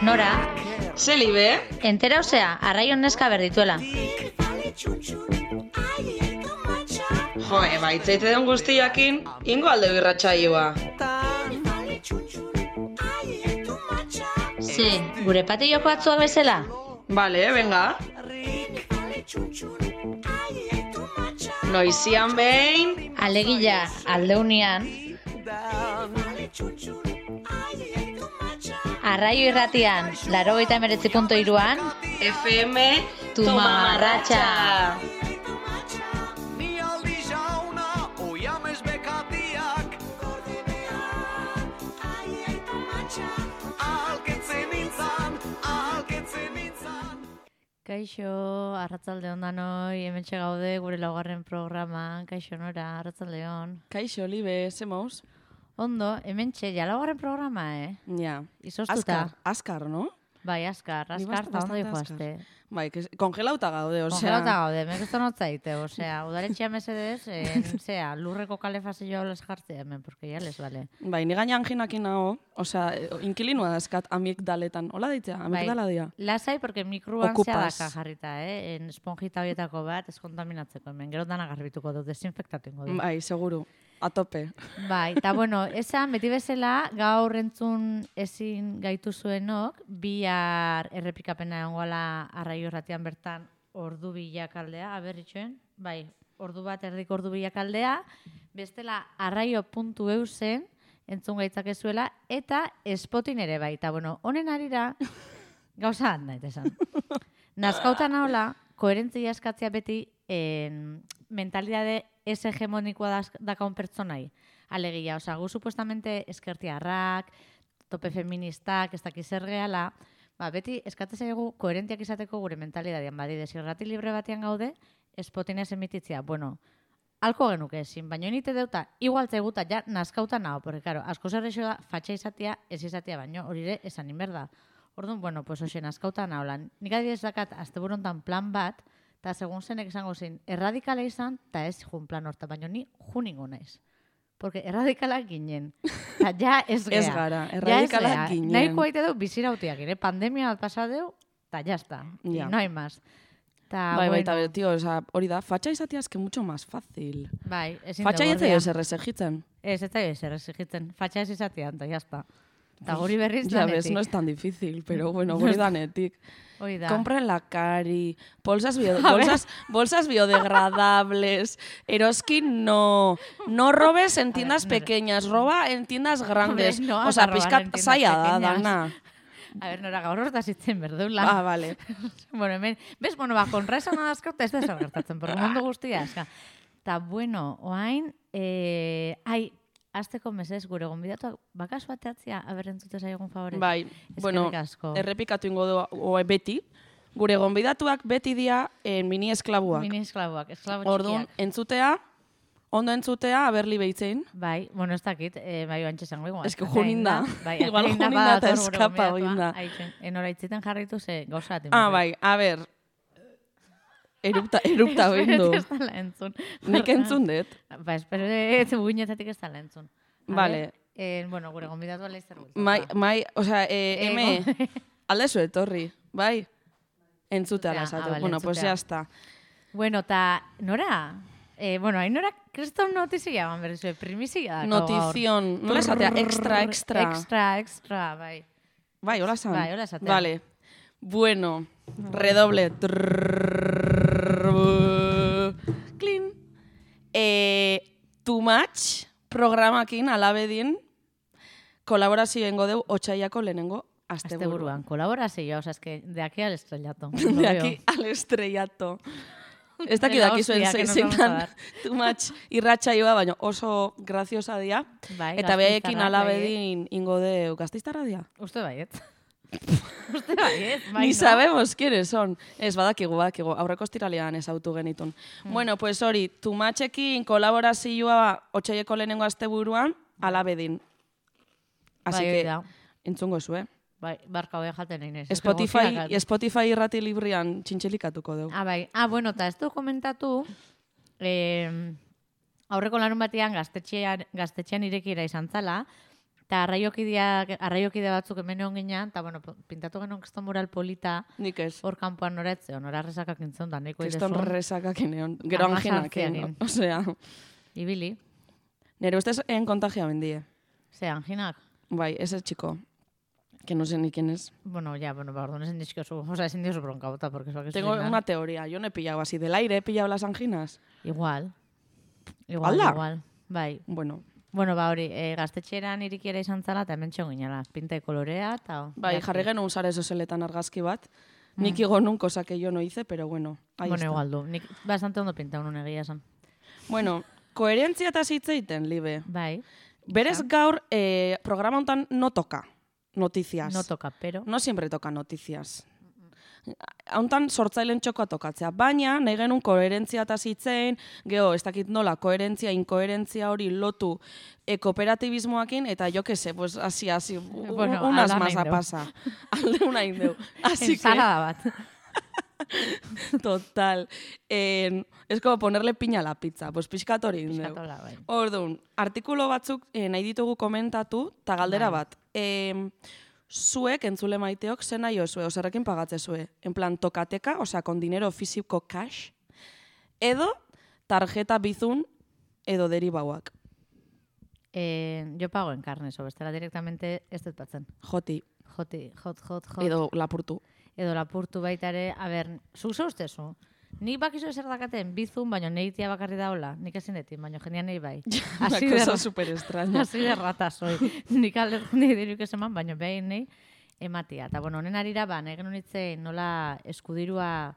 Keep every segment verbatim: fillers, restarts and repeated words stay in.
Nora, Zelibe? entera osea, arraion neska berdituela. Jo, eba, itzaite den guztiakin, ingo alde birratxaioa. Ze, gure patilloko atzuak bezala? Bale, venga. Noizian behin, Alegia, aldeunian. Arraio irratian, laurogeita hemeretzi puntu hiruan, F M Tu mamarratxa. Kaixo, arratzalde ondanoi, hementxe gaude gure laugarren programan. Kaixo, Nora, arratzalde on. Kaixo, Libe, zemoz? Ondo, hementxe, ja laugarren programa, eh? Ja. Izoztuta. Azkar, azkar, no? Bai, askar, Ni askar, bast- eta ondo bastante dijoazte. Bai, que kongelauta gaude, osea. Kongelauta gaude, mek ez notzaite, osea, udaletxea mesedez, en, zea, lurreko kalefazioa les jartzea hemen, porque ya les vale. Bai, ni gaina anginakin nago, osea, inkilinua dazkat amigdaletan. Hola deitzea, amigdala dia. Lasai, porque mikruan Okupaz. zea daka jarrita, eh? En esponjita horietako bat, ez kontaminatzeko hemen, gero dana garbituko dut, desinfektatu ingo dut. Bai, seguru. A tope. Bai, eta bueno, esan beti bezala gaur entzun ezin gaitu zuenok, bihar errepikapena egongoala arraio irratian bertan ordu bilakaldea, aberritxoen, bai, ordu bat erdik ordu bilakaldea, bestela arraio puntu eusen entzun gaitzakezuela, eta Spotin ere bai, eta bueno, honen arira, gauza bat nahi esan. Nazkautan nahola, koherentzia eskatzea beti en, mentalidade ez hegemonikoa dakaun pertsonai. Alegia, oza, gu supuestamente eskertiarrak, tope feministak, ez dakiz zer gehala, ba, beti eskatzen zaigu koherentiak izateko gure mentalidadean, badi, desirrati libre batean gaude, Spotinez emititzia. Bueno, alko genuke ezin, baina nite deuta, igual zeguta ja nazkauta nago, porque, claro, asko zerrexo da, fatxa izatea, ez izatea, baino, hori ere, esan inberda. Orduan, bueno, pues hoxe, nazkauta naholan. Nik adibidez dakat, asteburontan plan bat, eta segun zenek esango zein, erradikala izan, eta ez jun plan horta, baina ni juningo naiz. Porque erradikalak ginen. Eta ja ez gea. Ez gara, erradikalak ginen. Nahiko haite deu bizirautiak, ere? Pandemia bat pasa deu, eta jazta. Ja. No hay más. Ta, Bai, bai, bueno, eta tío, osea, hori da, fatxa izatea eske mucho más fácil. bai, ezin Fatxa dugu jetzei ordea. ez erresegitzen. Ez, ez da ezer exigitzen. Fatxa ez izatean, eta jazta. Eta guri berriz Ya ves, danetik. no es tan difícil, pero bueno, guri danetik. Hoi da. Compra en la cari, bolsas, bio, bolsas, bolsas biodegradables, eroskin no, no robes en tiendas A ver, pequeñas, roba en tiendas grandes. Hombre, no o vas sea, a robar en pizkat tiendas zaila da, pequeñas. dana. A ver, nora gaur hortaz itzen berdeula. Ah, vale. Bueno, hemen, bez, bueno, ba, kontra esan adazkauta ez da zer gertatzen, porque mundu guztia, eska. Ta, bueno, oain, eh, ai, azteko mesez, gure gonbidatuak, bakasu bateatzia, aberrentzute zaigun favorez. Bai, bueno, Eskerrik asko. errepikatu ingo du oe, beti. Gure gonbidatuak beti dia en mini esklabuak. Mini esklabuak, esklabo Orduan, txikiak. entzutea, ondo entzutea, aberli behitzein. Bai, bueno, ez dakit, eh, bai oantxe zango igual. Ez que junin da. Bai, Igual atein da junin da eta badator gure eskapa gonbidatua. oin da. Aitzen, enora itziten jarritu ze gauza bat. Ah, bai, a ber, erupta, erupta bindu. Ez dala entzun. Nik entzun dut. Ba, espero ez guinetatik ez dala entzun. A Vale. ver, eh, bueno, gure gonbidatua laizzer bultzatu. Mai, mai, osea, eh, eme, Ego. aldezu etorri, bai? Entzutea Entzutea, lasatu. ah, vale, Bueno, pues entzutea. ya está. Bueno, ta, nora? Eh, bueno, hain nora, kriston notizia ban berrizue, primizia dako gaur. Notizion, nola esatea, extra, extra. Extra, extra, bai. Bai, hola esan. Bai, hola esatea. Vale. Bueno, redoble. Clean. Eh, too much programakin alabedin kolaborazio ingo deu otxaiako lehenengo Asteburuan, asteburuan. kolaborazioa, osea, es que de aquí al estrellato. De aquí al estrellato. Ez dakit De la dakizuen hostia que nos zein vamos a dan dar. too much irratsaioa, baina oso graziosa dia. Bai, Eta behekin gasteiztarrak, alabedin ingo deu gazteiztarra dia. bai. Uste baiet. Uste baiet, bai, Ni no? sabemos quiénes son. Ez badakigu, badakigu. Aurreko estiralean ezautu genitun. Hmm. Bueno, pues hori, too muchekin kolaborazioa otxaieko lehenengo asteburuan alabedin. Así Bai, hori que, da. entzungo zu, eh? Bai, barka hoi jaten nahi nez. Spotify, Gozia- Spotify irrati librian txintxelikatuko dugu. Ah, bai. Ah, bueno, eta ez du komentatu, eh, aurreko larun batean gaztetxean, gaztetxean irekiera izan zala, eta arraiokide batzuk hemen egon ginean, eta bueno, pintatu genuen kriston mural polita, Nik ez. hor kanpoan noretzeon, hor arrezakak intzen da, nahiko Kriston idezun. resakak eneon. Gero anginak, osea. Ibili. Nere ustez en kontagia bendie. Ze, anginak? Bai, ese chico. Que no sé ni quién es. Bueno, ya, bueno, perdón, es indiscoso. O sea, es indioso bronca bota, porque eso que Tengo una teoría. Yo no he pillado así del aire, he pillado las anginas. Igual. Igual, Alda? igual. Bai. Bueno. Bueno, ba hori, e, gaztetxeran irikiera izan zala, eta hemen txon ginela. Pinta de kolorea, eta... Bai, jarri genuen sare sozialetan argazki bat. Nik igo nun, cosa que yo no hice, pero bueno, ahí Bueno, está. igual du. Nik bastante ondo pinta unun egia esan. Bueno, koherentzia eta zitzeiten, Libe. Bai. Berez gaur, eh, programa hontan no toca noticias. No toca, pero... No siempre toca noticias. Hauntan sortzailen txokoa tokatzea. Baina, nahi genuen koherentzia eta zitzein, geho, ez dakit nola, koherentzia, inkoherentzia hori lotu e, kooperatibismoakin, eta jo que se, pues, así, así, Bueno, unas ala más nahi a deu. pasa. Alde una indeu. Así que, Ensalada bat. total. Eh, es como ponerle piña a la pizza. Pues pixkat hori indeu. Piskatola, bai. Orduan, artikulo batzuk eh, nahi ditugu komentatu, eta galdera Bai. bat. Eh, zuek, entzule maiteok, zen nahi osue, oserrekin pagatze zue. En plan, tokateka, osea, con dinero físico cash, edo tarjeta bizun, edo deribauak. Eh, yo pago en carne, eso, bestela directamente ez dut batzen. Joti, Joti, jot, jot, jot. edo lapurtu. Edo lapurtu baita ere, a ber, zuk ze ustezu? Nik bakizu ezer dakaten bizun, baina negitia bakarri daola. Nik ezin detin, baina jendean nahi bai. Una Así de, cosa ra- super extraña. así de rata soy. Nik alde nahi diruk eseman, baina behin nahi ematia. Eta bueno, honen arira, ba, nahi genuen itzein nola eskudirua,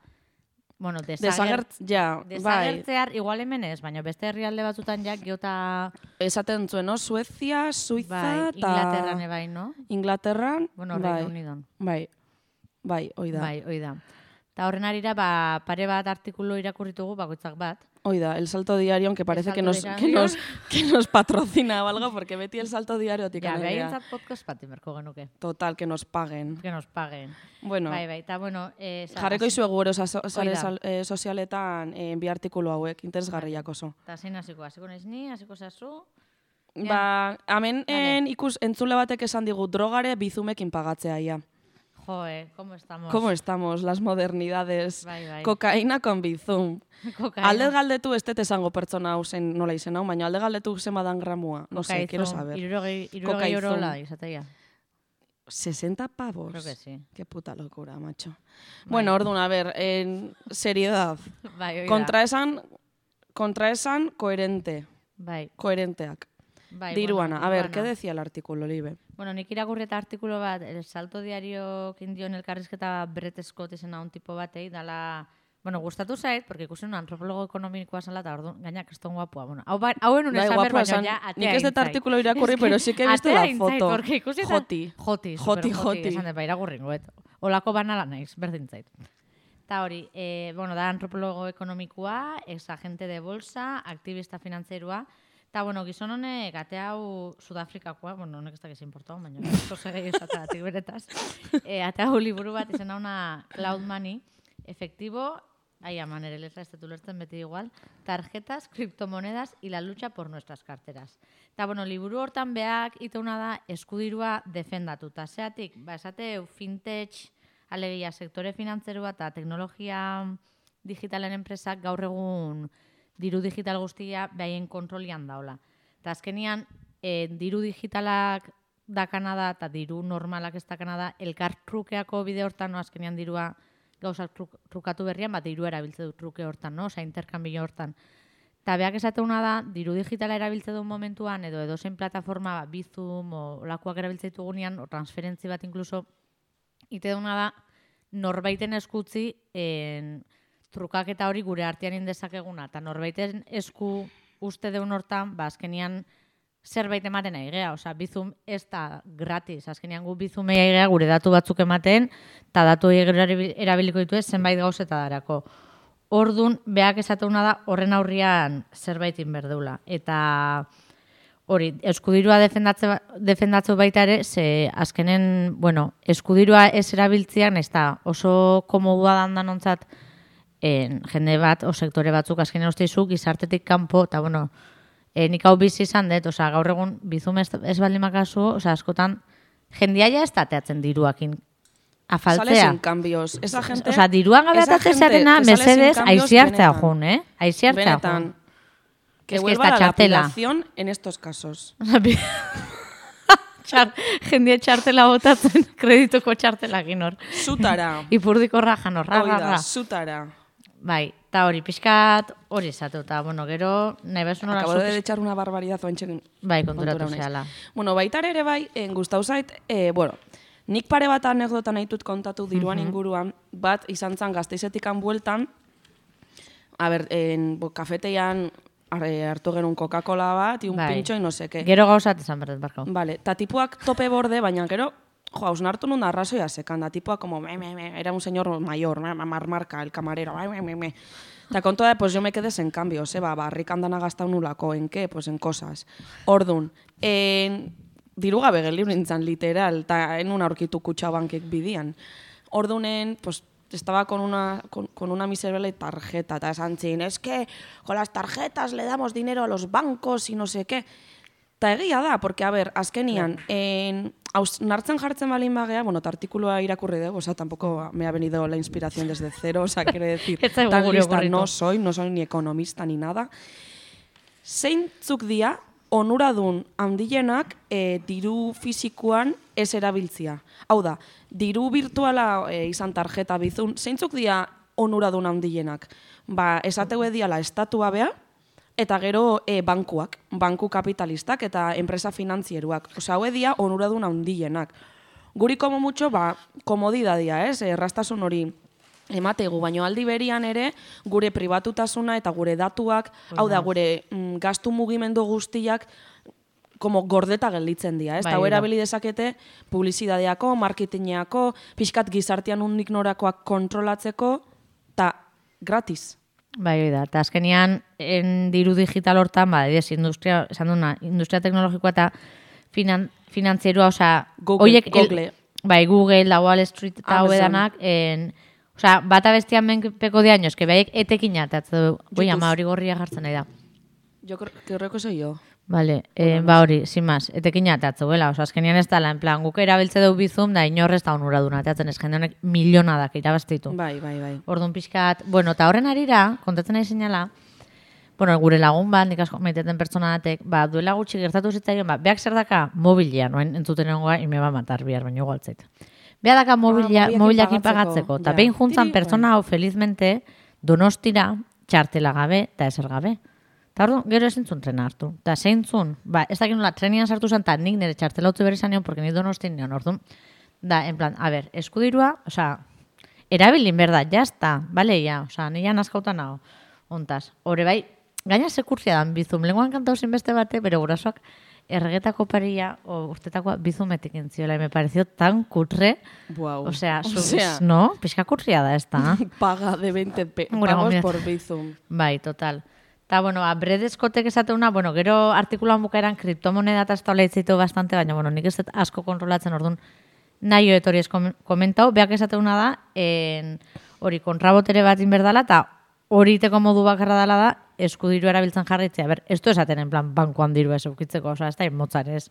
bueno, desager, Desagert, ja, bai. desagertzear, igual hemen ez, baina beste herrialde batzutan ja, geota, Esaten zuen, no? Suezia, Suiza, bai, eta... Inglaterran ebai, no? Inglaterran, Bueno, bai, Reino Unidon. bai, bai, hoi da. Bai, hoi da. Eta horren arira, ba, pare bat artikulu irakurritugu, bakoitzak bat. Hoi da, el Salto Diario, que parece El que Salto nos, que, Diario. nos, que nos patrocina o algo, porque beti el Salto Diario Ja, tikan behaintzat podcast bat imerko genuke. Total, que nos paguen. Que nos paguen. Bueno, Bai, bai, eta bueno... Eh, sa- jarriko izu eguro sare Hoi da. sal- eh, sozialetan eh, bi artikulu hauek, interesgarriak oso. Eta zein hasiko, hasiko naiz ni, hasiko zazu. Ba, hemen Vale. en, ikus entzule batek esan digu drogare bizumekin pagatzea ia. Joe, ¿cómo estamos? ¿Cómo estamos? Las modernidades. Bai, bai. Kokaina con bizum. Kokaina. Alde galdetu ez dut esango pertsona hau zen nola izen hau, baina alde galdetu zemadan gramua. No sé, quiero saber. Irurogei, irurogei Kokaizun. orola izatea. sesenta pavos. Creo que sí. Qué puta locura, macho. Bueno, orduan, a ver, en seriedad. Bai, oida. Kontraesan, kontraesan koherente. Bai, Koherenteak. bai. Diruana. bueno, A ver, diruana. ¿qué decía el artículo, Libe? Bueno, nik irakurri eta artikulu bat, El Salto Diario kindion elkarrizketa Brett Scott izena un tipo batei, dala, bueno, gustatu zait, porque ikusi un antropologo ekonomikoa zala, eta orduan, gainak kriston guapua. Bueno, hau, ba, hauen un Bai, esan ber, guapua baina esan, ja, atea nik ez dut intzait. artikulu irakurri, pero sí que he visto Atea la intzait, foto. porque ikusi eta- Joti. Joti, Joti, super joti. Esan dut, ba, irakurringoet. Olako banala naiz, berdin zait. Eta hori, eh, bueno, da antropologo ekonomikoa, ex-agente de bolsa, aktivista finantzerua, eta, bueno, gizon honek ate hau Sudafrikakoa, bueno, honek ez dakiz importau, baina oso segei esateratik beretaz, e, ate hau liburu bat izena una Cloud Money, efectivo, ahí aman ere letra, ez dut ulertzen beti igual, tarjetas, criptomonedas y la lucha por nuestras carteras. Eta, bueno, liburu hortan beak iteuna da eskudirua defendatuta. Zeatik, ba, esate fintech, alegia sektore finantzerua eta teknologia digitalen enpresak gaur egun diru digital guztia behaien kontrolian daola. Eta azkenian, e, diru digitalak dakana da eta diru normalak ez dakana da, elkar trukeako bide hortan, no, azkenian dirua gauzak truk, trukatu berrian, bat dirua erabiltze du truke hortan, no? Osa, interkambio hortan. Eta beak esateuna da, diru digitala erabiltze duen momentuan, edo edozein plataforma, ba, Bizum, o lakuak erabiltze ditugunean, o transferentzi bat inkluso, ite duna da, norbaiten eskutzi en, trukaketa hori gure artean indezakeguna, eta norbaiten esku uste deun hortan, ba, azkenian zerbait ematen nahi gea, osea, Bizum ez da gratis, azkenian gu Bizumei gea gure datu batzuk ematen, eta datu hori erabiliko ditu ez zenbait gauzeta darako. Ordun beak esateuna da horren aurrian zerbait inberdeula. Eta hori, eskudirua defendatze, defendatze baita ere, ze azkenen, bueno, eskudirua ez erabiltzean, ez da oso komodua dandan ontzat en, jende bat, o sektore batzuk azkenen usteizu, gizartetik kanpo, eta bueno, E, nik hau bizi izan dut, oza, gaur egun bizum ez, ez baldin makazu, oza, askotan, jendiaia ez tateatzen diruakin. Afaltzea. Sales sin cambios. Esa gente... Oza, diruan gabe atatzen zeatena, mesedez, aiziartzea jun, eh? Aiziartzea jun. Que vuelva la lapidación en estos casos. Txar, jendia txartela botatzen, kredituko txartela ginor. Zutara. Ipurdiko rajan horra, Oida, zutara. Bai, eta hori, pixkat hori esatu, eta, bueno, gero, nahi bezu nola... Acabo de echar una barbaridad oantxen. Bai, konturatu zehala. Bueno, baitar ere bai, en gustau zait, eh, bueno, nik pare bat anekdota nahi dut kontatu diruan uh -huh. inguruan, bat izan zan Gasteizetikan bueltan, a ber, en, bo, kafeteian hartu genuen Coca-Cola bat, un bai. Pintxo, y no sé qué. Gero gauzat izan berdet, barkau. Vale, ta tipuak tope borde, baina gero, jo, hausnartu nun arrazoia sekan, da tipuak como, me, me, me, era un señor mayor, me, marmarka, el camarero, me, me, me, me. Ta kontua da, pues yo me quedes en cambio, seba, barrik andana gaztau nulako, en qué? Pues en cosas. Ordun, en... diru gabe gelibru nintzen, literal, eta enun aurkitu kutxabankek bidian. Ordunen, pues, estaba con una, con, con una miserable tarjeta, eta esan zin, es que con las tarjetas le damos dinero a los bancos y no sé qué. Ta egia da, porque, a ver, azkenian, en, aus, nartzen jartzen balin bagea, bueno, ta artikulua irakurri dugu, o sea, tampoco me ha venido la inspiración desde cero, o sea, quiere decir, tan lista no soy, no soy ni economista ni nada. Zeintzuk dia, onuradun handilenak e, diru fisikoan ez erabiltzia. Hau da, diru virtuala e, izan tarjeta bizun, zeintzuk dia onuradun handilenak? Ba, esateu ediala estatua bea, eta gero e, bankuak, banku kapitalistak eta enpresa finantzieruak. Osa, hau edia onuradun handilenak. Guri komo mutxo, ba, komodidadia, ez? Errastasun hori emategu, baino aldi berian ere gure pribatutasuna eta gure datuak, hau da, gure mm, gastu mugimendu guztiak como gordeta gelditzen dira, ez? Bai, hau erabili dezakete publizidadeako, marketingeako, pixkat gizartean undik norakoak kontrolatzeko, eta gratis. Bai, da, eta azkenian en diru digital hortan, ba, ez industria, esan duna, industria teknologikoa eta finan, finantzierua, osea, Google, oiek, Google. El, bai, Google, la Wall Street eta hoedanak, en... Osa, bata bestian menpeko de años, que behaiek etekin atatzen du. Boi, ama hori gorria jartzen nahi da. Jo creo que soy yo. Vale, eh, ba hori, sin más, etekin atatzen duela. Osa, azkenian ez dala, en plan, guk erabiltze du bizum, da inorrez da onuraduna atatzen, ez jende honek milionadak irabaztitu. Bai, bai, bai. Orduan pixkat, bueno, eta horren arira, kontatzen nahi zinala, bueno, gure lagun bat, nik asko maiteten pertsona datek, ba, duela gutxi gertatu zitzaion, ba, beak zer daka mobilia, noen entzuten egongoa, ime ba matar bihar, baino igualtzait. Beha daka mobiliakin pagatzeko. Eta behin juntzan pertsona hau felizmente donostira txartela gabe eta ezer gabe. Eta orduan, gero ezin zuen trena hartu. Eta zein zuen, ba, ez dakit nola trenian sartu zen, eta nik nire txartela utzi berri zan nion, porque nik donostin nion, orduan. Da, en plan, a ber, eskudirua, oza, erabilin berda, jazta, bale, ja, oza, nire nazkauta nago, ontaz. Hore bai, gaina sekurtzia dan bizum, lenguan kantau beste bate, bere gurasoak, erregetako paria, o urtetakoa bizumetik entziola, y me pareció tan cutre. Wow. O sea, o sea no, pixka kurria da esta. Paga de veinte pe pagos por bizum. Bai, total. Ta, bueno, a Bredeskotek esateuna, bueno, gero artikuloan bukaeran kriptomoneda eta estola itzitu bastante, baina, bueno, nik ez asko kontrolatzen, orduan, nahi etori ez komentau, beak esateuna da, en, hori, kontrabotere bat inberdala, eta hori teko modu bakarra dela da, eskudiru erabiltzen jarritzea. Ber, ez du esaten, en plan, bankuan diru ez eukitzeko, oza, ez da, motzarez,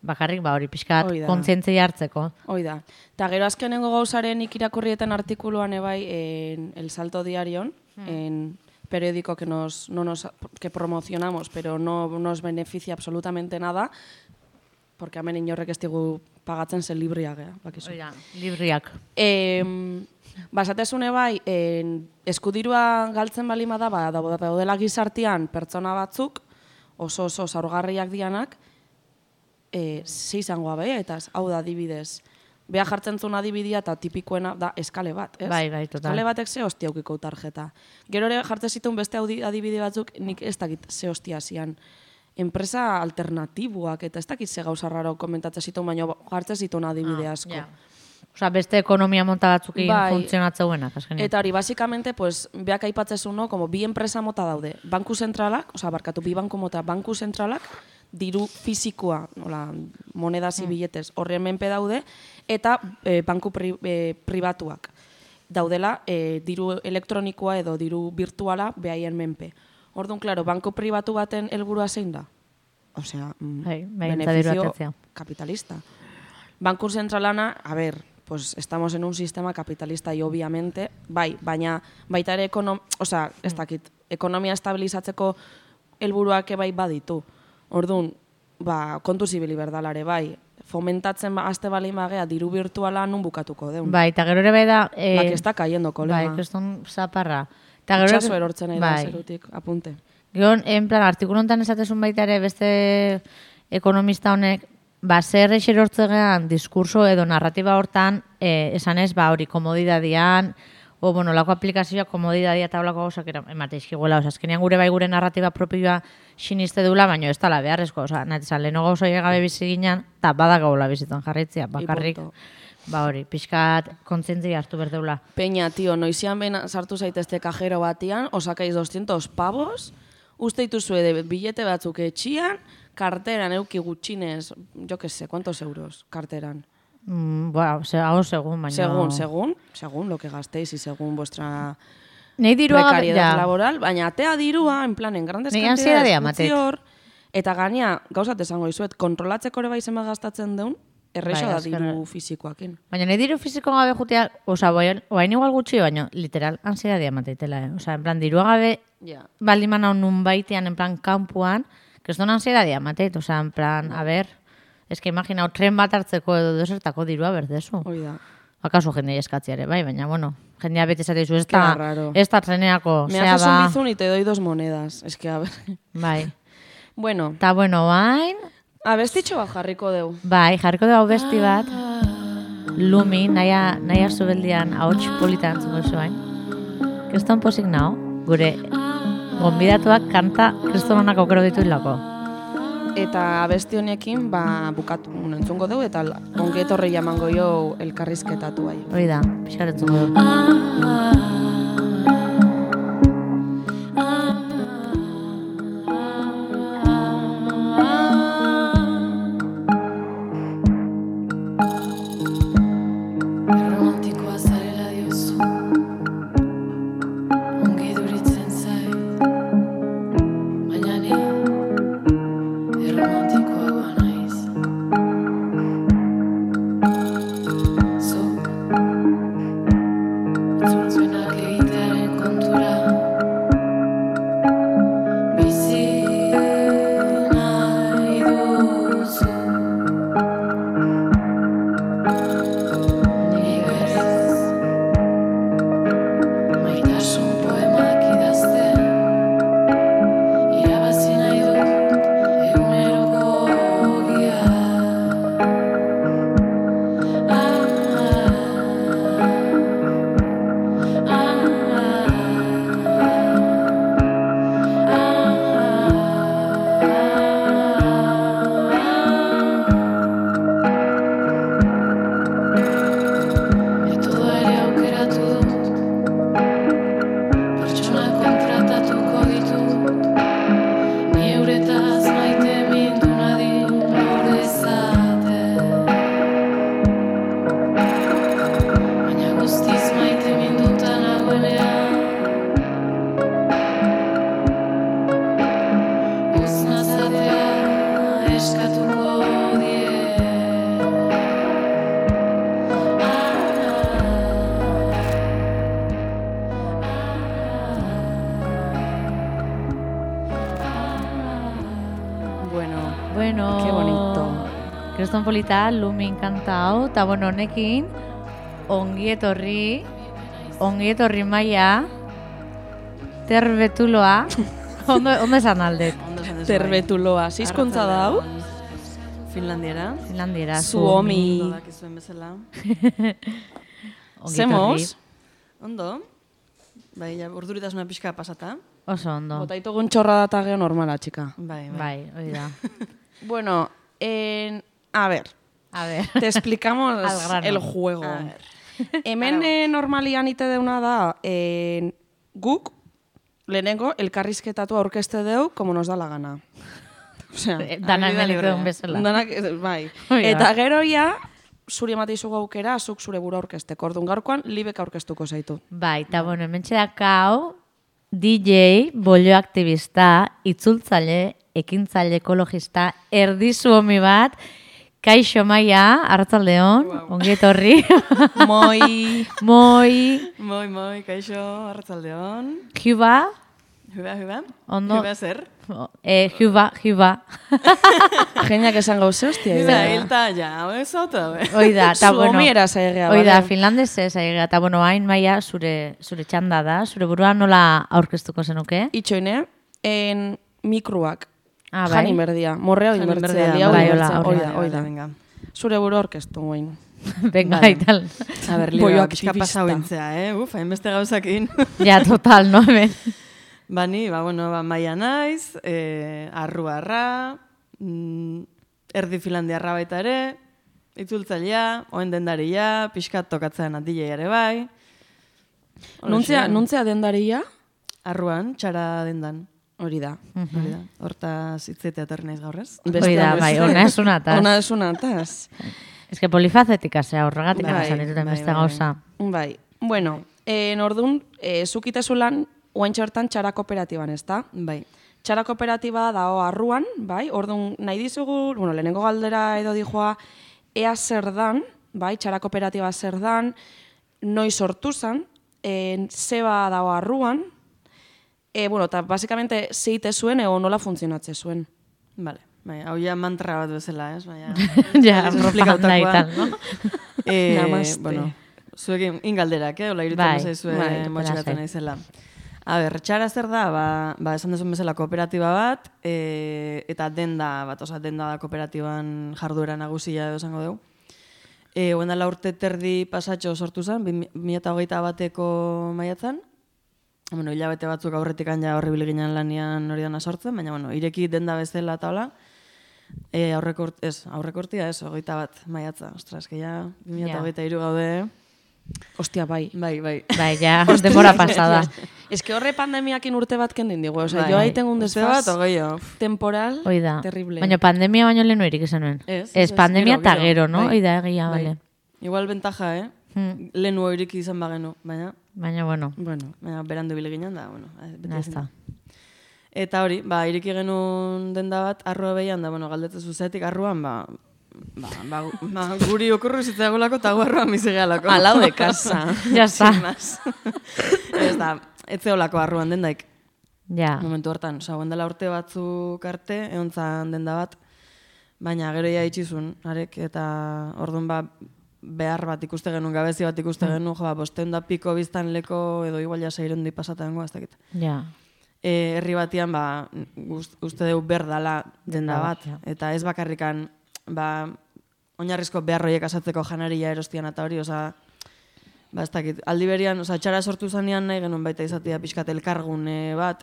bakarrik, ba, hori pixkat kontzientzia hartzeko. Hoi da. Eta gero azkenengo gauzaren ikirakurrieten artikuluan ebai, en El Salto Diarion, hmm. en periódico que, nos, no nos, que promocionamos, pero no nos beneficia absolutamente nada, porque hemen inorrek ez digu pagatzen zen libriak, eh? Bakizu. Oida, libriak. Eh, Basatezune bai, en, eskudirua galtzen balima da, ba, daudela gizartian pertsona batzuk, oso oso zaurgarriak dianak, e, zeizango abe, eta hau da adibidez. Beha jartzen zuen adibidia eta tipikoena da eskale bat, ez? Bai, bai, total. Eskale batek ze hostia aukiko tarjeta. Gero ere jartzen zituen beste adibide batzuk, nik ez dakit ze hostia zian. Enpresa alternatiboak, eta ez dakit ze gauza raro komentatzen zituen, baina jartzen zituen adibide asko. Ah, yeah. Osa, beste ekonomia monta batzukin bai, funtzionatzeuenak, azkenean. Eta hori, basikamente, pues, beak aipatzezu, no, como bi enpresa mota daude. Banku zentralak, osa, barkatu, bi banku mota, banku zentralak, diru fizikoa, nola, monedas mm. biletez, horren menpe daude, eta e, banku pri, e, pribatuak. Daudela, e, diru elektronikoa edo diru virtuala behaien menpe. Orduan, klaro, banko pribatu baten helburua zein da? Osea, mm, Bai, bai, beneficio atentzia. capitalista. Banku zentralana, a ver, pues estamos en un sistema capitalista y obviamente, bai, baina baita ere ekonom, osea, ez dakit, ekonomia estabilizatzeko helburuak bai baditu. Orduan, ba, kontu zibili berdalare, bai, fomentatzen ba, azte balin bagea, diru virtuala nun bukatuko deun. Bai, eta gero ere bai da... Eh, La que está cayendo, kolega. Bai, kriston zaparra. Eta gero Itxaso erortzen nahi da bai. zerutik, apunte. Gero, en plan, artikulu honetan esatezun baita ere beste ekonomista honek, ba, zer erortzegean diskurso edo narratiba hortan, eh, esan ez, ba, hori, komodidadian, o, bueno, lako aplikazioa komodidadia eta olako gauzak emate izkiguela, oza, azkenean gure bai gure narratiba propioa siniste dula, baina ez tala beharrezko, oza, nahi zan, leheno gauza gabe bizi ginen, eta badagaula bizitzen jarritzia, bakarrik, ba hori, pixkat kontzientzia hartu berdeula. Peña, tio, noizian behin sartu zaitezte kajero batian, osakaiz doscientos pavos, uste dituzue de billete batzuk etxian, karteran euki gutxinez, jo que sé, ¿cuántos euros karteran? Mm, bueno, o sea, hau segun, baina... Según, según, según lo que gastéis y según vuestra Nei dirua precariedad laboral, baina atea dirua, en plan, en grandes Nei cantidades, ansiedadea utzi matet. hor, eta gaina, gauzat esango izuet, kontrolatzeko ere bai zenbat gastatzen deun, errexo Bai, da azkena. diru fisikoakin. Baina nahi diru fiziko gabe jutea, oza, oain igual gutxi, baina literal ansiedadea mateitela, eh? Oza, en plan, dirua gabe Ja. baldiman hau nun baitean, en plan, kampuan, kriston ansiedadea mateit, oza, en plan, a ver, es que imagina, tren bat hartzeko edo desertako dirua berdezu. Hoi da. Akaso jendei eskatziare, bai, baina, bueno, jendea beti esateizu, ez Qué da, raro. ez da treneako, Me zea haces un ba, bizun y te doy dos monedas. Es que, a ver. bai. Bueno, Ta bueno, bain, abestitxo bat jarriko deu. bai, jarriko da besti bat, Lumi, naia, naia zubeldian ahots politan entzuko zuen. Kriston pozik nao, gure gonbidatuak kanta kristonanak aukero ditu hilako. Eta abesti honekin, ba, bukatu entzungo deu, eta ongi etorri jamango jo elkarrizketatu bai. Hori da, pixar entzuko du. Erromantikoa zarela diozu, ongi duritzen zait, baina ni erromantikoagoa naiz. Zuk, itzultzuenak egitearen kontura, bizi nahi duzu. Ni berriz, maitasun poemak idazten, irabazi nahi dut eguneroko ogia. Ah, ah, Metodoa ere aukeratu dut, pertsona kontratatuko ditut, ni euretaz maite mindu nadin lor dezaten. Baina guztiz maite minduta nagoenean, uz nazatea eskatuko die. Bueno, Bueno, Qué bonito. Kriston polita, Lumin kanta hau, eta bueno, honekin, ongi etorri, ongi etorri maia, terbetuloa, ondo, ondo esan aldet, Ondo esan duzu, terbetuloa, bai. zizkuntza da hau? Finlandiera. Finlandiera, Suomi. Ondo dakizuen bezala. ongi Zemos? etorri. Ondo. Bai, ja, urduritasuna pixka pasata. Oso ondo, Botaitugun txorra data geo normala, txika. Bai, bai. bai, hori da. Bueno, en, a ver, A ver, te explicamos Al grano. el juego. A ver. Hemen eh, normalian ite deuna da, eh, guk, lehenengo, elkarrizketatu aurkezte deu, como nos da la gana. Osea, danak Adibide menik libre. duen bezala. danak, eh, bai. Hoi da. Eta gero ja, zuri emate izugu aukera, zuk zure buru aurkezteko. Orduan gaurkoan, libek aurkeztuko zaitu. Bai, eta bueno, hemen txedaka hau, D J, bollo aktivista, itzultzaile, ekintzaile ekologista, erdizu homi bat, Kaixo Maia, arratsaldeon, wow. Ongi etorri. Moi. Moi. Moi, moi, kaixo, arratsaldeon. Juba. Juba, juba. Ondo. Juba zer? Eh, Juba, Juba. Geniak esan gauze, hostia. Juba, hilta, ja, ez auto. Oida, eta bueno. Suomiera zaigea. Oida, finlandese zaigea, eta bueno, hain Maia, zure, zure txanda da, zure burua nola aurkeztuko zenuke? Itxoine, en mikroak. Ah, bai. Jani berdia, morrea hori bertzea. Bai, hola, Oida, oida. Venga. Zure buru orkestu guain. Venga, Vale. ital. A ber, liga, pixka pasau entzea, eh? Uf, hainbeste gauzakin. Ja, total, no, hemen. Ba, ni, ba, bueno, ba, Maia naiz, eh, arruarra, mm, erdi finlandiarra baita ere, itzultzailea, oen dendaria, pixkat tokatzean D J ere bai. Nuntzea, nuntzea dendaria? Arruan, txara dendan. Hori da. Hori da. Hortaz hitzetea etorri naiz gaur, ez? Hoi da, bai, ona ez unataz. Ona ez unataz. Ez que polifazetika zea, horregatik Bai, esan dituten bai, beste bai, gauza. Bai, bueno, eh, nordun, eh, zukitezu lan, oaintxe hortan txara kooperatiban, ez da? Bai. Txara kooperatiba dago arruan, bai, orduan nahi dizugu, bueno, lehenengo galdera edo dijoa, ea zer dan, bai, txara kooperatiba zer dan, noi sortu zan, eh, zeba dago arruan, e, bueno, eta basikamente zeite zuen, ego nola funtzionatze zuen. Vale. Bai, hau ja mantra bat bezala, ez? Baina, Ja, propaganda y tal, no? Eh, Namaste. bueno, zuekin ingalderak, eh? Ola, irutzen Bai, bezaizue bai, motxikatzen lasai. naizela. A ber, txara zer da, ba, ba esan duzun bezala kooperatiba bat, e, eta denda bat, oza, denda da kooperatiban jarduera nagusia edo esango dugu. E, Oen dela urte terdi pasatxo sortu zen, bi mila hogeita bateko maiatzan. Bueno, hilabete batzuk aurretik ja horribil ginen lanian hori dana sortzen, baina bueno, ireki denda bezala eta hola. E, aurreko urt, ez, aurreko urtia ez, hogeita bat maiatza. Ostras, que ja bi mila hogeita hiru gaude. Ostia, bai. Bai, bai. Bai, ja, denbora pasada. Ez que horre pandemiakin urte bat kendin digu, oza, Bai. jo haiten un Urte bat, desfaz ogeio. temporal Hoi da. terrible. Baina pandemia baino lehenu erik esan nuen. Ez, Ez, ez, pandemia gero, eta gero, gero, no? bai. Hoi da, egia, Bai. bale. Igual ventaja, eh? Hmm. Lehenu iriki izan bagenu, baina, Baina, bueno, Bueno, baina berandu bile ginen da, bueno. beti ya ezin da. está. Eta hori, ba, iriki genuen denda bat, arrua behian da, bueno, galdetzen zuzetik arruan, ba, ba, ba, ba guri okurru zitzaigolako eta gu arruan bizigealako. alau de casa. Ya está. Sin más. Ez da, etzeolako arruan dendaik. Ja. Momentu hortan, oza, dela urte batzuk arte, egon zan denda bat, baina gero ia itxizun, arek, eta orduan ba, behar bat ikuste genuen, gabezi bat ikuste genuen, jo, ba, bosteun da piko biztan leko, edo igual ja seireun di pasatzen goa, ez dakit. Ja. E, herri batian, ba, gust, uste dugu berdala denda Denda bat, bat, ja. eta ez bakarrikan, ba, oinarrizko beharroiek asatzeko janaria erostian eta hori, oza, ba, ez dakit, aldi berian, oza, txara sortu zanean nahi genuen baita izatea pixkat elkargune bat,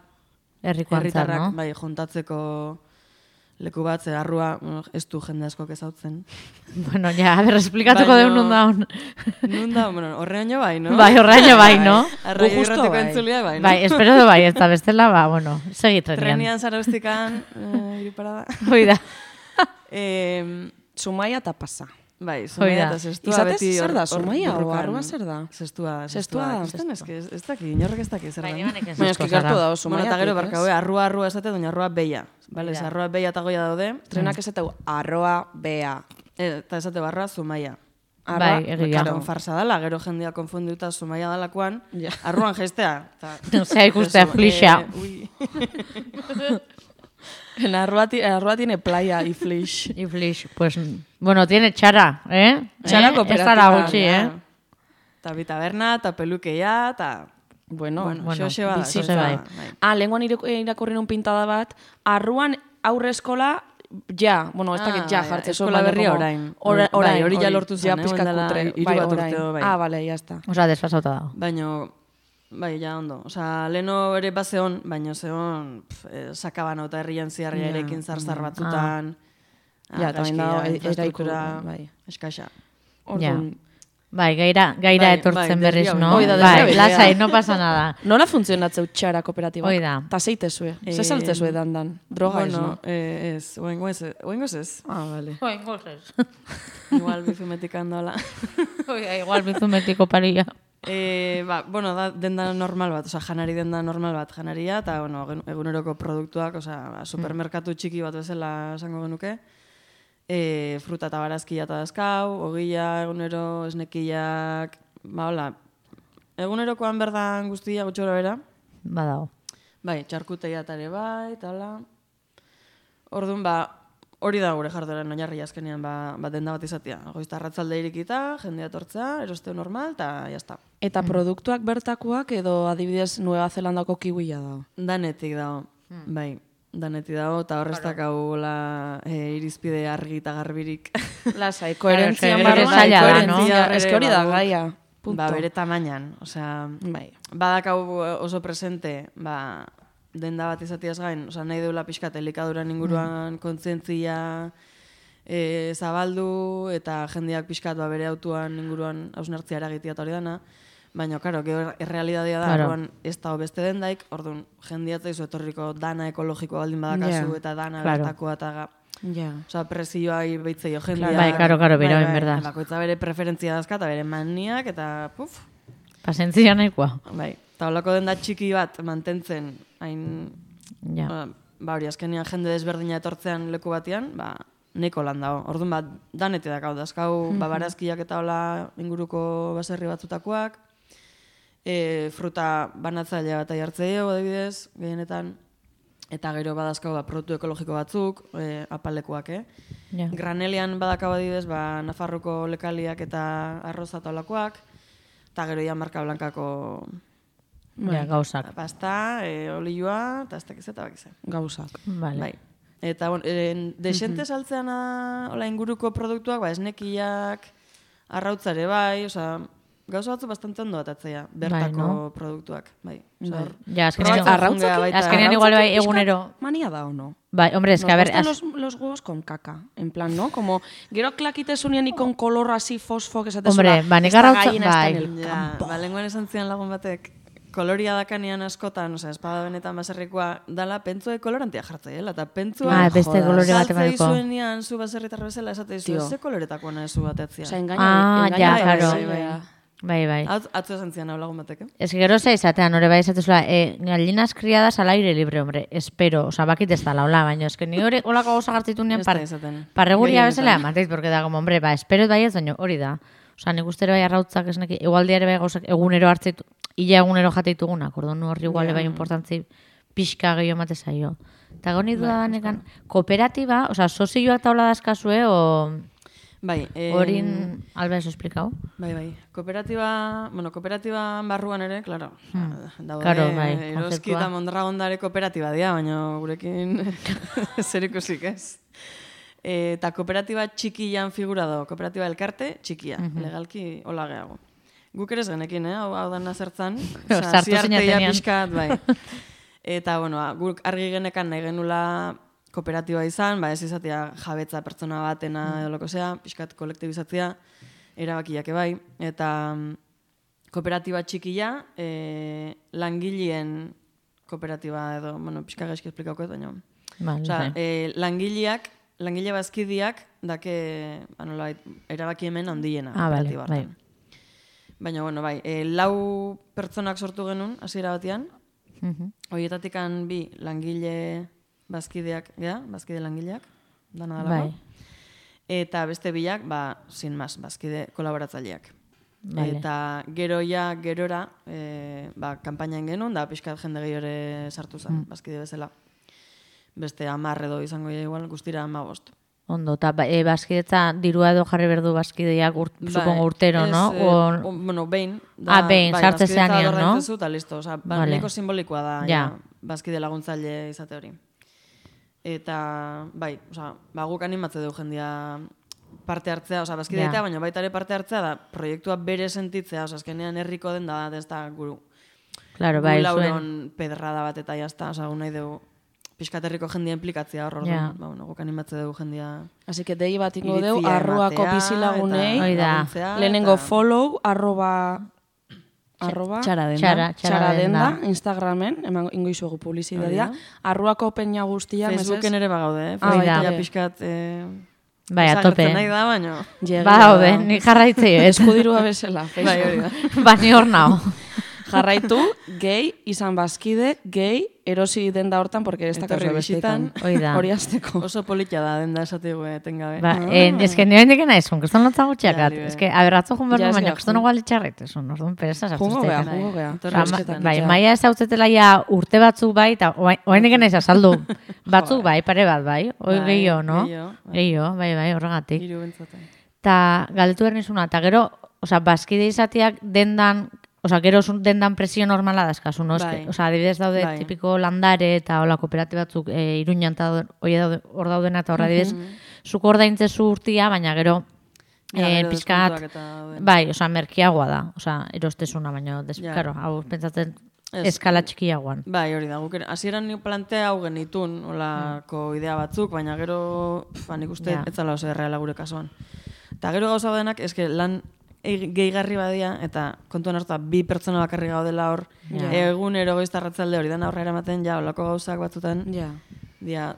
Herriko antzar, herritarrak, no? bai, jontatzeko leku bat, zer arrua, bueno, ez du jende askok ezautzen. Bueno, ja, a ber, esplikatuko Baino- deun nun daun. Nun da, bueno, horreaino bai, no? Bai, horreaino bai, no? Arraio Gu justo irratiko bai. entzulia bai, no? Bai, espero du bai, ez da bestela, ba, bueno, segi trenian. Trenian zaraustikan, eh, iriparada. Hoi da. Eh, Zumaia eta pasa. bai, Hoi Zumaia da. eta zestua Izatez beti zer hor- da, hor Zumaia o borrokan. arrua zer da? Zestua, Zestua da, Ikusten ez, que ez, ez daki, inorrek ez daki zer Bai, da. nibanek ez Baina asko eski gertu zara. da, Bueno, Zumaia. eta gero barka, hau, arrua arrua esate, doña arrua beia. Vale, Ja. arrua beia eta goia daude, Trenak esateu, arroa, bea. eh, eta esate barra Zumaia. Bai, egia. Claro, farsa dala, gero jendia konfundiuta Zumaia dalakoan, Ja. arruan gestea. Ta, Osea, ikustea Eso, flixa. eh, ui. En arroa, ti- arroa tiene playa y flish. Y Flish, pues, bueno, tiene txara, eh? Txara Eh? kooperatiba, Ez zara gutxi, eh? Eta bi taberna, eta pelukeia, eta... Bueno, Bueno, bueno, xoxe bada, bizitza xoxe bai. bada, bai. Ah, lenguan iraku- irakurri nun pintada bat, arruan aurre eskola, ja, bueno, ez dakit Ah, ja bai, jartzen eskola berria orain. Ora, Bai, orain, hori ja lortu ja zen, eh, pizka orain dela kutre. hiru Bai, bat orain. urte, bai. Ah, bale, ya está. Osea, desfasauta dago. Baino, bai, ja ondo. Osa, leheno ere bazeon, baino zeon, pf, eh, sakabano eta herrian ziarria Ja, erekin zarzar batzutan. Ah. Ja, eta bain dago, e- infrastruktura, eraiku, bai. eskasa. Orduan, Bai, gaira, gaira Bai, etortzen bai, berriz, desbia no? hori da, Bai, desbia lasai, no pasa nada. nola funtzionatzeu txara kooperatibak? Hoi da. Ta zeite zue? Eh, Ze saltze zue dandan? Droga ez, bueno, no? eh, ez, oengo ez, oengo ez. Ah, bale. Oi, gozes. Igual bizumetik handola. Oi, igual bizumetiko paria. E, ba, bueno, da denda normal bat, oza, janari denda normal bat janaria, eta, bueno, eguneroko produktuak, oza, ba, supermerkatu txiki bat bezala esango genuke. E, fruta eta barazkia eta dazkau, ogila, egunero, esnekiak, ba, hola, egunerokoan berdan guztia gutxora bera. Badago. Bai, txarkuteia eta ere bai, eta hola. Orduan, ba, hori da gure jardueran oinarri azkenean, ba, ba denda bat izatea. Goizta arratzalde irikita, jendea etortzea, erosteo normal, eta jazta. Eta produktuak bertakoak edo adibidez Nueva Zelandako kiwia dago? Danetik dago, bai. Danetik dago, eta horreztak hau la, e, irizpide argi eta garbirik. Lasai, koherentzia Claro, barruan, zaila da, koherentzia, no? eske hori da Badu. gaia. Punto. Ba, bere tamainan, osea, Bai. badakau oso presente, ba, denda bat izatiaz gain, osea, nahi deula pixkat elikaduran inguruan kontzientzia e, zabaldu, eta jendeak pixkat ba, bere autuan inguruan hausnartzia eragitia eta hori dana, baina, karo, gero errealitatea da, Claro. orduan ez da beste dendaik, orduan jendeatzaizu etorriko dana ekologikoa baldin badakazu, Ja. eta dana Claro. bertakoa eta ga, Ja. Osa, presioa beitzeio jendea. Bai, karo, karo, bera, en verdad. Bakoitza bere preferentzia dazka, eta bere maniak, eta puf, Pasentzia nahikoa. bai. Eta holako denda txiki bat mantentzen, hain, Ja. ba, ba hori, azkenean jende desberdina etortzean leku batean, ba, neko lan dago. Orduan, ba, danetik dakau, dazkau, ba, barazkiak eta hola inguruko baserri batzutakoak, e, fruta banatzailea bat aiartzeio, adibidez, gehienetan, eta gero badazkau ba, produktu ekologiko batzuk, e, apalekoak, eh? Ja. Granelian badakau adibidez, ba, Nafarroko lekaliak eta arroza eta holakoak, eta gero ja marka blankako Ja, gauzak. pasta, e, olioa, eta ez dakiz eta bakiz. Gauzak. Vale. Bai. Eta, bon, e, desente saltzean da, hola, inguruko produktuak, ba, esnekiak, arrautzare bai, osea, gauza batzu bastante ondo atatzea, bertako no? produktuak, bai. Osea, hor- Ja, azkenean, probatzen arrautzak- jungea baita. azkenean igual bai Pixkat egunero. Mania da o no? Bai, hombre, es que a ver, Nos az- gustan los, los huevos con caca, en plan, ¿no? Como, gero klakitesunien y con color así fosfo, que esate Hombre, ba, nik arrautza- bai. Ja, ba, lenguan esan zian lagun batek, koloria dakanean askotan, osea, espada benetan baserrikoa, dala pentsue kolorantia jartzaiela, eta pentsua Ah, beste kolore bat saltzei emateko. zuenean zu baserritar bezala esate dizu, Tio. ze koloretakoa nahi zu batetzia. O sea, engaña, Ah, engaña, ja, bai, claro. bai, bai. Bai, bai. Atz- Atzo esan zian hau lagun batek, eh? Ez que gero ze izatean, hori bai izatezula, eh, gallinas criadas al aire libre, hombre, espero, oza, bakit ez da laula, baina, ez que ni hori olako gauza gartzitu nien Ez da par, izaten. parreguria Gehienetan. bezala, mateit, porque da, como, hombre, ba, espero bai ez, baina hori da. Osa, nik uste ere bai arrautzak esneki, igualdi ere bai gauzak egunero hartzeitu, illa egunero jateitugunak, orduan horri igual bai importantzi pixka gehiago emate zaio. Eta goni duda banekan, kooperatiba, oza, sozioak taula dazkazue, o Bai, eh, horin, alba eso esplikau? Bai, bai. Kooperatiba, bueno, kooperatiba barruan ere, claro, daude, Claro, bai, Eroski kontzeptua. eta Mondragondare kooperatiba dira, baina gurekin zer ikusik ez. E, eta kooperatiba txikian figura do, kooperatiba elkarte txikia, legalki hola gehago. Guk ere ez genekin, eh? hau, hau dana zertzan, Sartu zinatenean. pixkat, bai. Eta, bueno, guk argi genekan nahi genula kooperatiba izan, ba ez izatea jabetza pertsona batena edo loko zea, pixkat kolektibizatzea, erabakiak bai, eta mm, kooperatiba txikia, e, langileen kooperatiba edo, bueno, pixka gaizki esplikauko ez, baina. Vale, Osea, bai. e, langileak, langile bazkidiak, dake, ba, nolabait, erabaki hemen handiena Ah, vale, kooperatiba bai. hartan. Baina, bueno, bai, e, lau pertsonak sortu genuen, hasiera batean, Mhm. horietatikan bi langile bazkideak, ja, bazkide langileak, dana dalako. Bai. Eta beste bilak, ba, sin mas, bazkide kolaboratzaileak. Vale. Eta gero ja, gerora, e, ba, kanpainan genuen, da pixkat jende gehiore sartu zen, Mm. bazkide bezala. Beste hamar edo izango ja igual, guztira hamabost. Ondo, eta ba, e, bazkidetza dirua edo jarri berdu bazkideak urt, supongo urtero, ez, no? eh, O, o- bueno, behin. Ah, behin, sartze bazkidetza zeanean, no? ordaintzezu eta listo. Osa, ba, Vale. nahiko simbolikoa da, Ja. ja, bazkide laguntzaile izate hori. Eta, bai, osa, ba, guk animatze dugu jendia parte hartzea, osa, bazkide Ja. eta, baina baita ere parte hartzea da, proiektua bere sentitzea, osa, azkenean herriko den da, ez da, guru, claro, gu bai, zuen. lauron pedrada bat eta jazta, osa, gu nahi dugu, pixkat herriko jendia implikatzea hor, orduan, Ja. ba, bueno, guk animatze dugu jendia Así que dei bat ingo deu, iritzia arruako ematea bizilagunei, eta Hori da. laguntzea, lehenengo eta- follow, arroba, arroba, Txara denda. Txara, txara, txara denda. denda, Instagramen, eman ingo izuegu publizitatea, Hori arruako peña guztia, Facebooken ere bagaude, eh? Ah, bai, Facebooka bai. pixkat, eh, Bai, a tope. Desagertzen nahi da, baino. Ba, haude, ni jarraitzei ez. Eskudirua bezala. Bai, hori da. Ba, ni hor nao. Jarraitu, gehi, izan bazkide, gehi, erosi denda hortan, porque ez Etorri dakazu bisitan. bestekan. Hori da. Hori azteko. Oso polita da, denda esategu etengabe. Ba, eh, eske ni oraindik naiz, un kriston lotza gutxiakat. Ja, Eske aberratzu jun behar Ja, nuen, eske, baina kriston jun. igual itxarret, esun, orduan pereza sartu Jungo gea, zitzaiten. jungo gea. Etorri Ba, bisitan, bai, ja. maia ez hautzetela ja urte batzuk bai, eta oraindik naiz azaldu. Batzuk bai, pare bat bai. Hoi Bai, gehiago, no? gehiago, bai. Gehiago, bai, bai, horregatik. Hiru bentzaten. Ta galdetu behar nizuna, eta gero, osea, bazkide izateak dendan, osea, gero zun dendan presio normala dazkazu, no? Bai. Eske, osea, adibidez daude Bai. tipiko landare eta hola kooperatiba batzuk e, Iruñan eta daude- hoi daude- hor daudena eta hor adibidez, zuk ordaintzezu urtia, baina gero Ja, eh, gero pixkat, deskontuak eta dauden. bai, osea, merkiagoa da, osea, erostezuna, baina, des, Ja. claro, hau pentsatzen Ez. eskala txikiagoan. Bai, hori da, guk ere- hasieran ni plantea hau genitun, olako idea batzuk, baina gero, pf, ba, nik uste, Ja. ez zala oso erreala gure kasuan. Eta gero gauza denak, eske lan e- gehigarri badia, eta kontuan hartuta bi pertsona bakarri gaudela hor, Ja. egunero goiztarratzalde hori dena aurrera ematen, ja, olako gauzak batzutan, Ja. dia,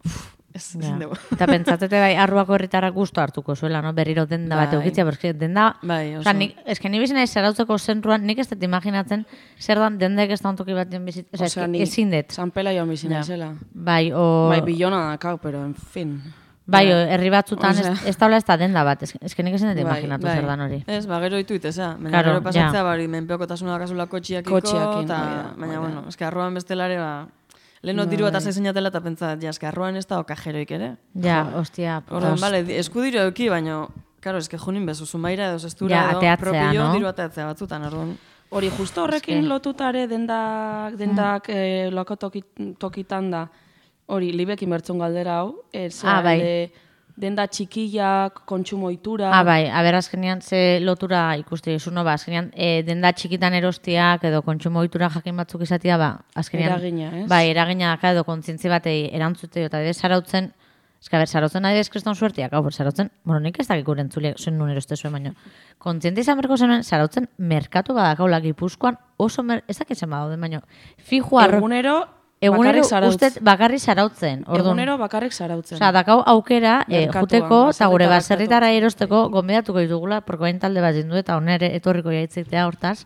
uf, ez, Ja. ezin dugu. Eta pentsatete bai, arruako herritarrak gusto hartuko zuela, no? Berriro denda bat Bai. eukitzea, porque denda... Bai, oso. Osa, nik, eske ni bizina zarautzeko zentruan, nik ez dut imaginatzen, zer dan dendek ez da ontoki batean bizit... Osa, Osea, eske ni ezin dut. San Pela joan bizina Ja. zela. Bai, o... Bai, bilona dakau, pero en fin. Bai, o, herri batzutan Osea. ez, ez taula ez da denda bat, eske, eske nik ezin dut Bai, imaginatu bai. zer dan hori. Ez, ba, gero ditu iteza. Baina Claro, gero pasatzea, ja. ba, hori, menpeokotasuna dakazula kotxiakiko, Kotxiakin, eta, hori da, baina, hori da. bueno, eske arruan bestelare, ba, leheno diru bat azeinatela eta pentsat, ja, eske arruan ez da okajeroik ere. Ja, ostia. Orduan, os- bale, di- eskudiro euki, baina, karo, eske junin bezu, zumaira edo zestura Ja, edo, ateatzea, propio no? diru ateatzea batzutan, orduan. Hori, justo horrekin Eske. lotutare dendak, dendak Mm. eh, loko toki- tokitan da, hori, libekin bertzun galdera hau, eh, ze Ah, bai. alde, denda txikiak, kontsumo ohitura. Ah, bai, aber azkenean ze lotura ikusti dizu, no, ba, azkenean e, denda txikitan erostiak edo kontsumo ohitura jakin batzuk izatea, ba, azkenean... Eragina, ez? Bai, eragina daka edo kontzientzi batei erantzute, eta adibidez zarautzen, eska ber, zarautzen adibidez kriston suertiak, hau, zarautzen, bueno, nik ez dakik guren entzuliak zuen nun eroste zuen, baina, kontziente izan berko zenuen, zarautzen merkatu badakaula Gipuzkoan oso, mer, ez dakitzen badaude, baina, fijo arro... Egunero, Egunero bakarrik zarautz. ustez bakarri zarautzen, orduan. Egunero bakarrik zarautzen. Osea, dakau aukera e, Merkatuan, juteko eta gure baserritarrak baserritara erosteko gomendatuko ditugula, porque bain talde bat dindu eta onere etorriko jaitzitea hortaz,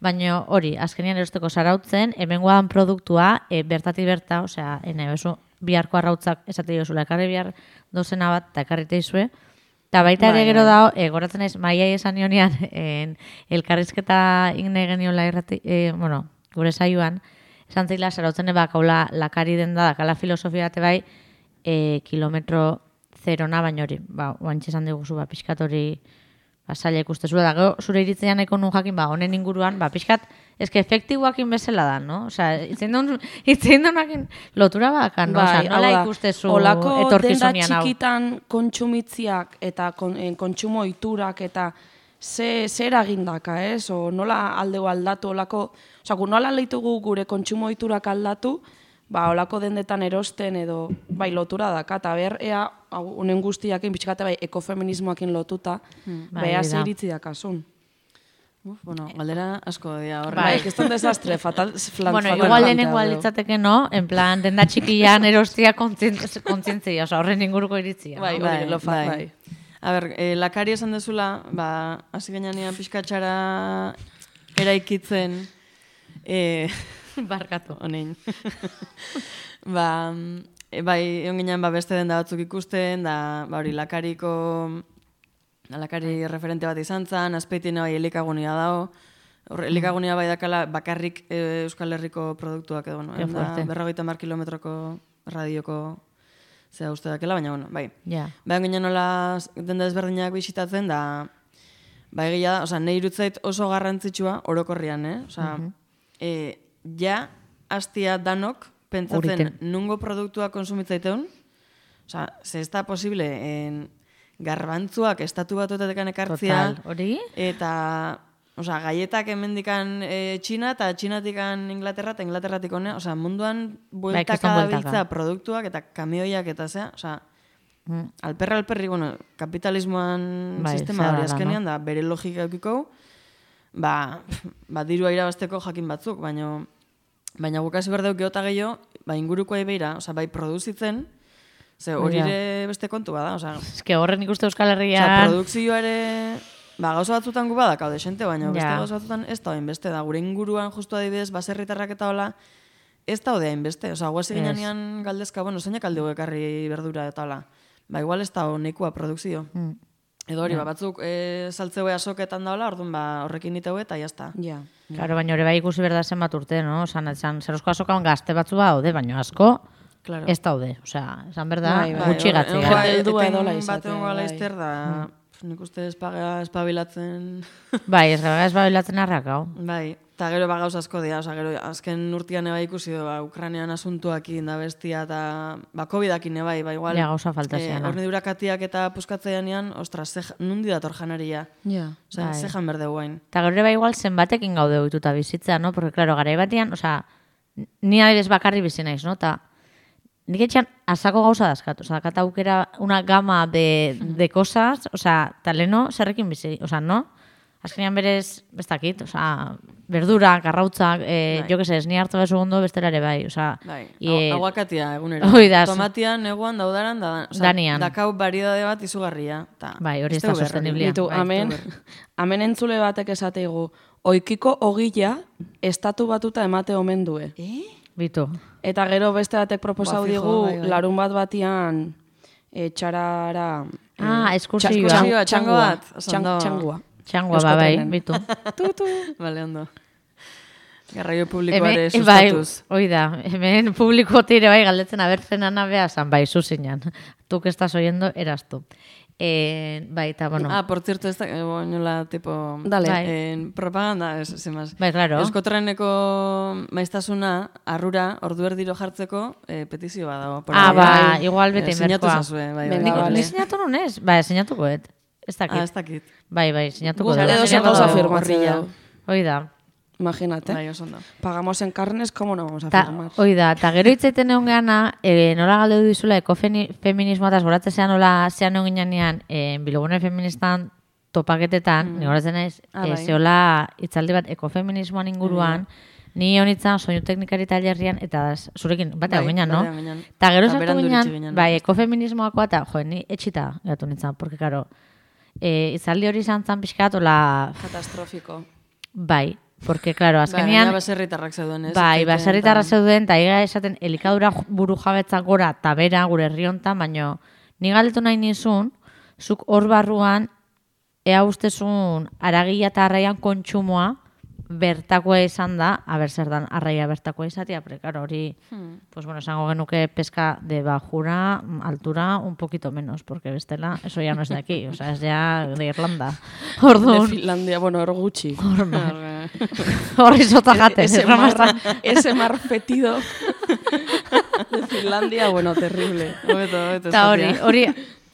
baina hori, azkenean erosteko zarautzen, hemen guadan produktua, e, bertatik berta, osea, ene, bezu, biharko arrautzak esate diozula, ekarri bihar dozena bat, eta ekarri teizue, eta baita ere Bai, gero bai. dago, e, goratzen naiz, maiai esan nionean, en, elkarrizketa igne geniola irrati, e, bueno, gure saioan, esan zila, zarautzen eba kaula lakari den da, dakala filosofia bate bai, e, kilometro zerona baino hori, ba, oantxe esan diguzu, ba, pixkat hori, ba, zaila ikustezu, da, gero, zure iritzean nahiko nun jakin, ba, honen inguruan, ba, pixkat, eske efektiboakin bezala da, no? Osea, itzein duen, itzein duenakin lotura bakan, no? Osea, Bai, nola hau da, ikustezu holako denda etorkizunian hau? txikitan kontsumitziak eta kon, eh, kontsumo ohiturak eta ze, ze eragindaka, ez? O nola aldeu aldatu, olako, osea, gu nola leitugu gure kontsumo ohiturak aldatu, ba, olako dendetan erosten edo, bai, lotura daka, eta ber, ea, hau, unen guztiakin, pixkate, bai, ekofeminismoakin lotuta, Bai, bea hori ze da. iritzi dakasun. Uf, bueno, galdera asko dira horre. Bai, que es un desastre, fatal, flan, Bueno, fatal igual lehenengo planteado. alitzateke, no? En plan, denda txikian erostia kontzient- kontzientzia, osea, horren inguruko iritzia. Bai, no? hori, lo fa, bai. A ber, eh, lakari esan dezula, ba, hasi gainean pixkatxara eraikitzen, eh, Barkatu. honein. ba, e, bai, egon ginean ba, beste denda batzuk ikusten, da, ba, hori, lakariko, lakari referente bat izan zen, azpeitina bai elikagunia dago, hor, elikagunia bai dakala bakarrik e, Euskal Herriko produktuak edo, bueno, Ke fuerte. berrogeita mar kilometroko radioko zera uste dakela, baina, bueno, bai. Ja. Ba, ginen nola denda ezberdinak bisitatzen, da, ba, egia da, oza, nahi irutzait oso garrantzitsua orokorrian, eh? Oza, e, ja, hastia danok, pentsatzen, Uriten. nungo produktua konsumitzaiteun, oza, ze ez da posible, en, garbantzuak estatu batuetatekan ekartzia, Total, hori? eta, oza, gaietak hemendikan e, Txina, eta Txinatikan Inglaterra, eta Inglaterratik hone, oza, munduan bueltaka kriston bueltaka. dabiltza produktuak, eta kamioiak, eta zea, oza, Mm. alperra alperri, bueno, kapitalismoan Bai, sistema zera hori da, azkenean, da, bere logika eukiko, ba, ba, dirua irabazteko jakin batzuk, baina baina guk hasi behar dugu geota gehiago, ba, inguruko beira, oza, bai produzitzen, Ze hori ere beste kontu bada, osea... Ez que horren ikuste Euskal Herrian... Osea, produkzioa ere... Ba, gauza batzutan gu badakau desente, baina beste gauza batzutan ez da hainbeste da. Gure inguruan justu adibidez, baserritarrak eta hola, ez da hode hainbeste. Osea, guazi ginean galdezka, bueno, zeinak alde ekarri berdura eta hola. Ba, igual ez da honekua produkzio. Mm. Edo hori, ba, batzuk e, saltzeu asoketan da hola, orduan ba, horrekin iteu eta jazta. Ja. Claro, baina hori bai ikusi berda zenbat urte, no? Osan, esan, zerosko asokan gazte batzu ba daude, baina asko claro. Ez daude. Osea, esan berda, bai, bai, gutxi gatzi. Eten bat egon gala izter da... Nik uste espaga espabilatzen... Bai, ez gara espabilatzen arrakau. Bai, eta gero ba gauz asko dira, oza, gero azken urtean eba ikusi du, ba, Ukrainean asuntuakin da bestia, eta ba, covidakin eba, ba, igual... Ja, gauza falta zian. Horne dura katiak eta puskatzean ean, ostras, nundi dator janaria. Ja. Oza, bai. Zejan berde guain. Eta gero eba igual zenbatekin gaude oituta bizitza, no? Porque, claro, gara batian, oza, ni adibidez bakarri bizi naiz, no? Ta, nik etxean asako gauza dazkat, oza, kata aukera una gama de, de cosas, oza, taleno zerrekin bizi, oza, no? Azkenean berez, bestakit, oza, verdura, garrautzak, eh, jo que se, ni hartu bezu gondo bestela ere bai, oza. Bai, e, aguakatia egunero. Tomatian, neguan, daudaran, da, oza, Danian. Dakau baridade bat izugarria. Ta, bai, hori ez da sosteniblia. Bitu, bai, amen, amen entzule batek esateigu, oikiko ogila estatu batuta emate omen due. Eh? Bitu. Eta gero beste batek proposau ba, digu, bai, bai. Larun bat batian e, txarara... Ah, eskursioa. Txangua, txangua bat. Txangua. Txangua, ba, bai, bitu. Tutu. Bale, ondo. Garraio publikoare sustatuz. Bai, oida, hemen publiko tire bai galdetzen abertzen anabea zan, bai, zuzinan. Tu que estás oyendo, eras tu. Eh, bai, eta, bueno... Ah, por cierto, esta, eh, nola, tipo... Dale. Bai. En propaganda, es, sin más. Bai, claro. Euskotreneko maiztasuna, arrura, ordu erdiro jartzeko, eh, petizio bat dago. Ah, ba, igual bete inberkoa. Sinatu zazue, bai, bai. Bai, ni sinatu nunez? Bai, sinatuko, et. Ez dakit. Ah, ez dakit. Bai, bai, sinatuko. Guzti edo zen gauza firmatzea. Hoi da. Imagínate. Bai, oso ondo. Pagamos en carnes, ¿cómo no vamos a ta, firmar? Hoi da, eta gero hitzaiten egon geana, e, nola galde du dizula ekofeminismoataz, goratzen zean nola zean egon ginean, e, bilogune feministan topaketetan, mm. ni goratzen naiz, ah, e, bai. Zeola hitzaldi bat ekofeminismoan inguruan, mm. ni honitzen soinu teknikari tailerrian, eta zurekin, bat egon ginean, no? Eta gero sartu ginean, bai, ekofeminismoakoa, eta jo, ni etxita gatu nintzen, porque, karo, e, hitzaldi hori izan zan pixkat, ola... Katastrofiko. Bai, porque, claro, azkenean... Bai, baserritarrak zeuden, ez? Bai, baserritarrak zeuden, eta higa esaten elikadura buru jabetzak gora tabera gure herriontan, baino ni galdetu nahi nizun, zuk hor barruan, ea ustezun aragia eta arraian kontsumoa bertakoa izan da, haber zer dan arraia bertakoa izatea, pero claro, hori, hmm. pues bueno, esango genuke pesca de bajura, altura, un poquito menos, porque bestela, eso ya no es de aquí, o sea, es ya de Irlanda. Orduan. De Finlandia, bueno, hor gutxi. Horri sota jate. Ese, mar, ese mar fetido de Finlandia, bueno, terrible. Obeto, obeto. Eta hori, hori,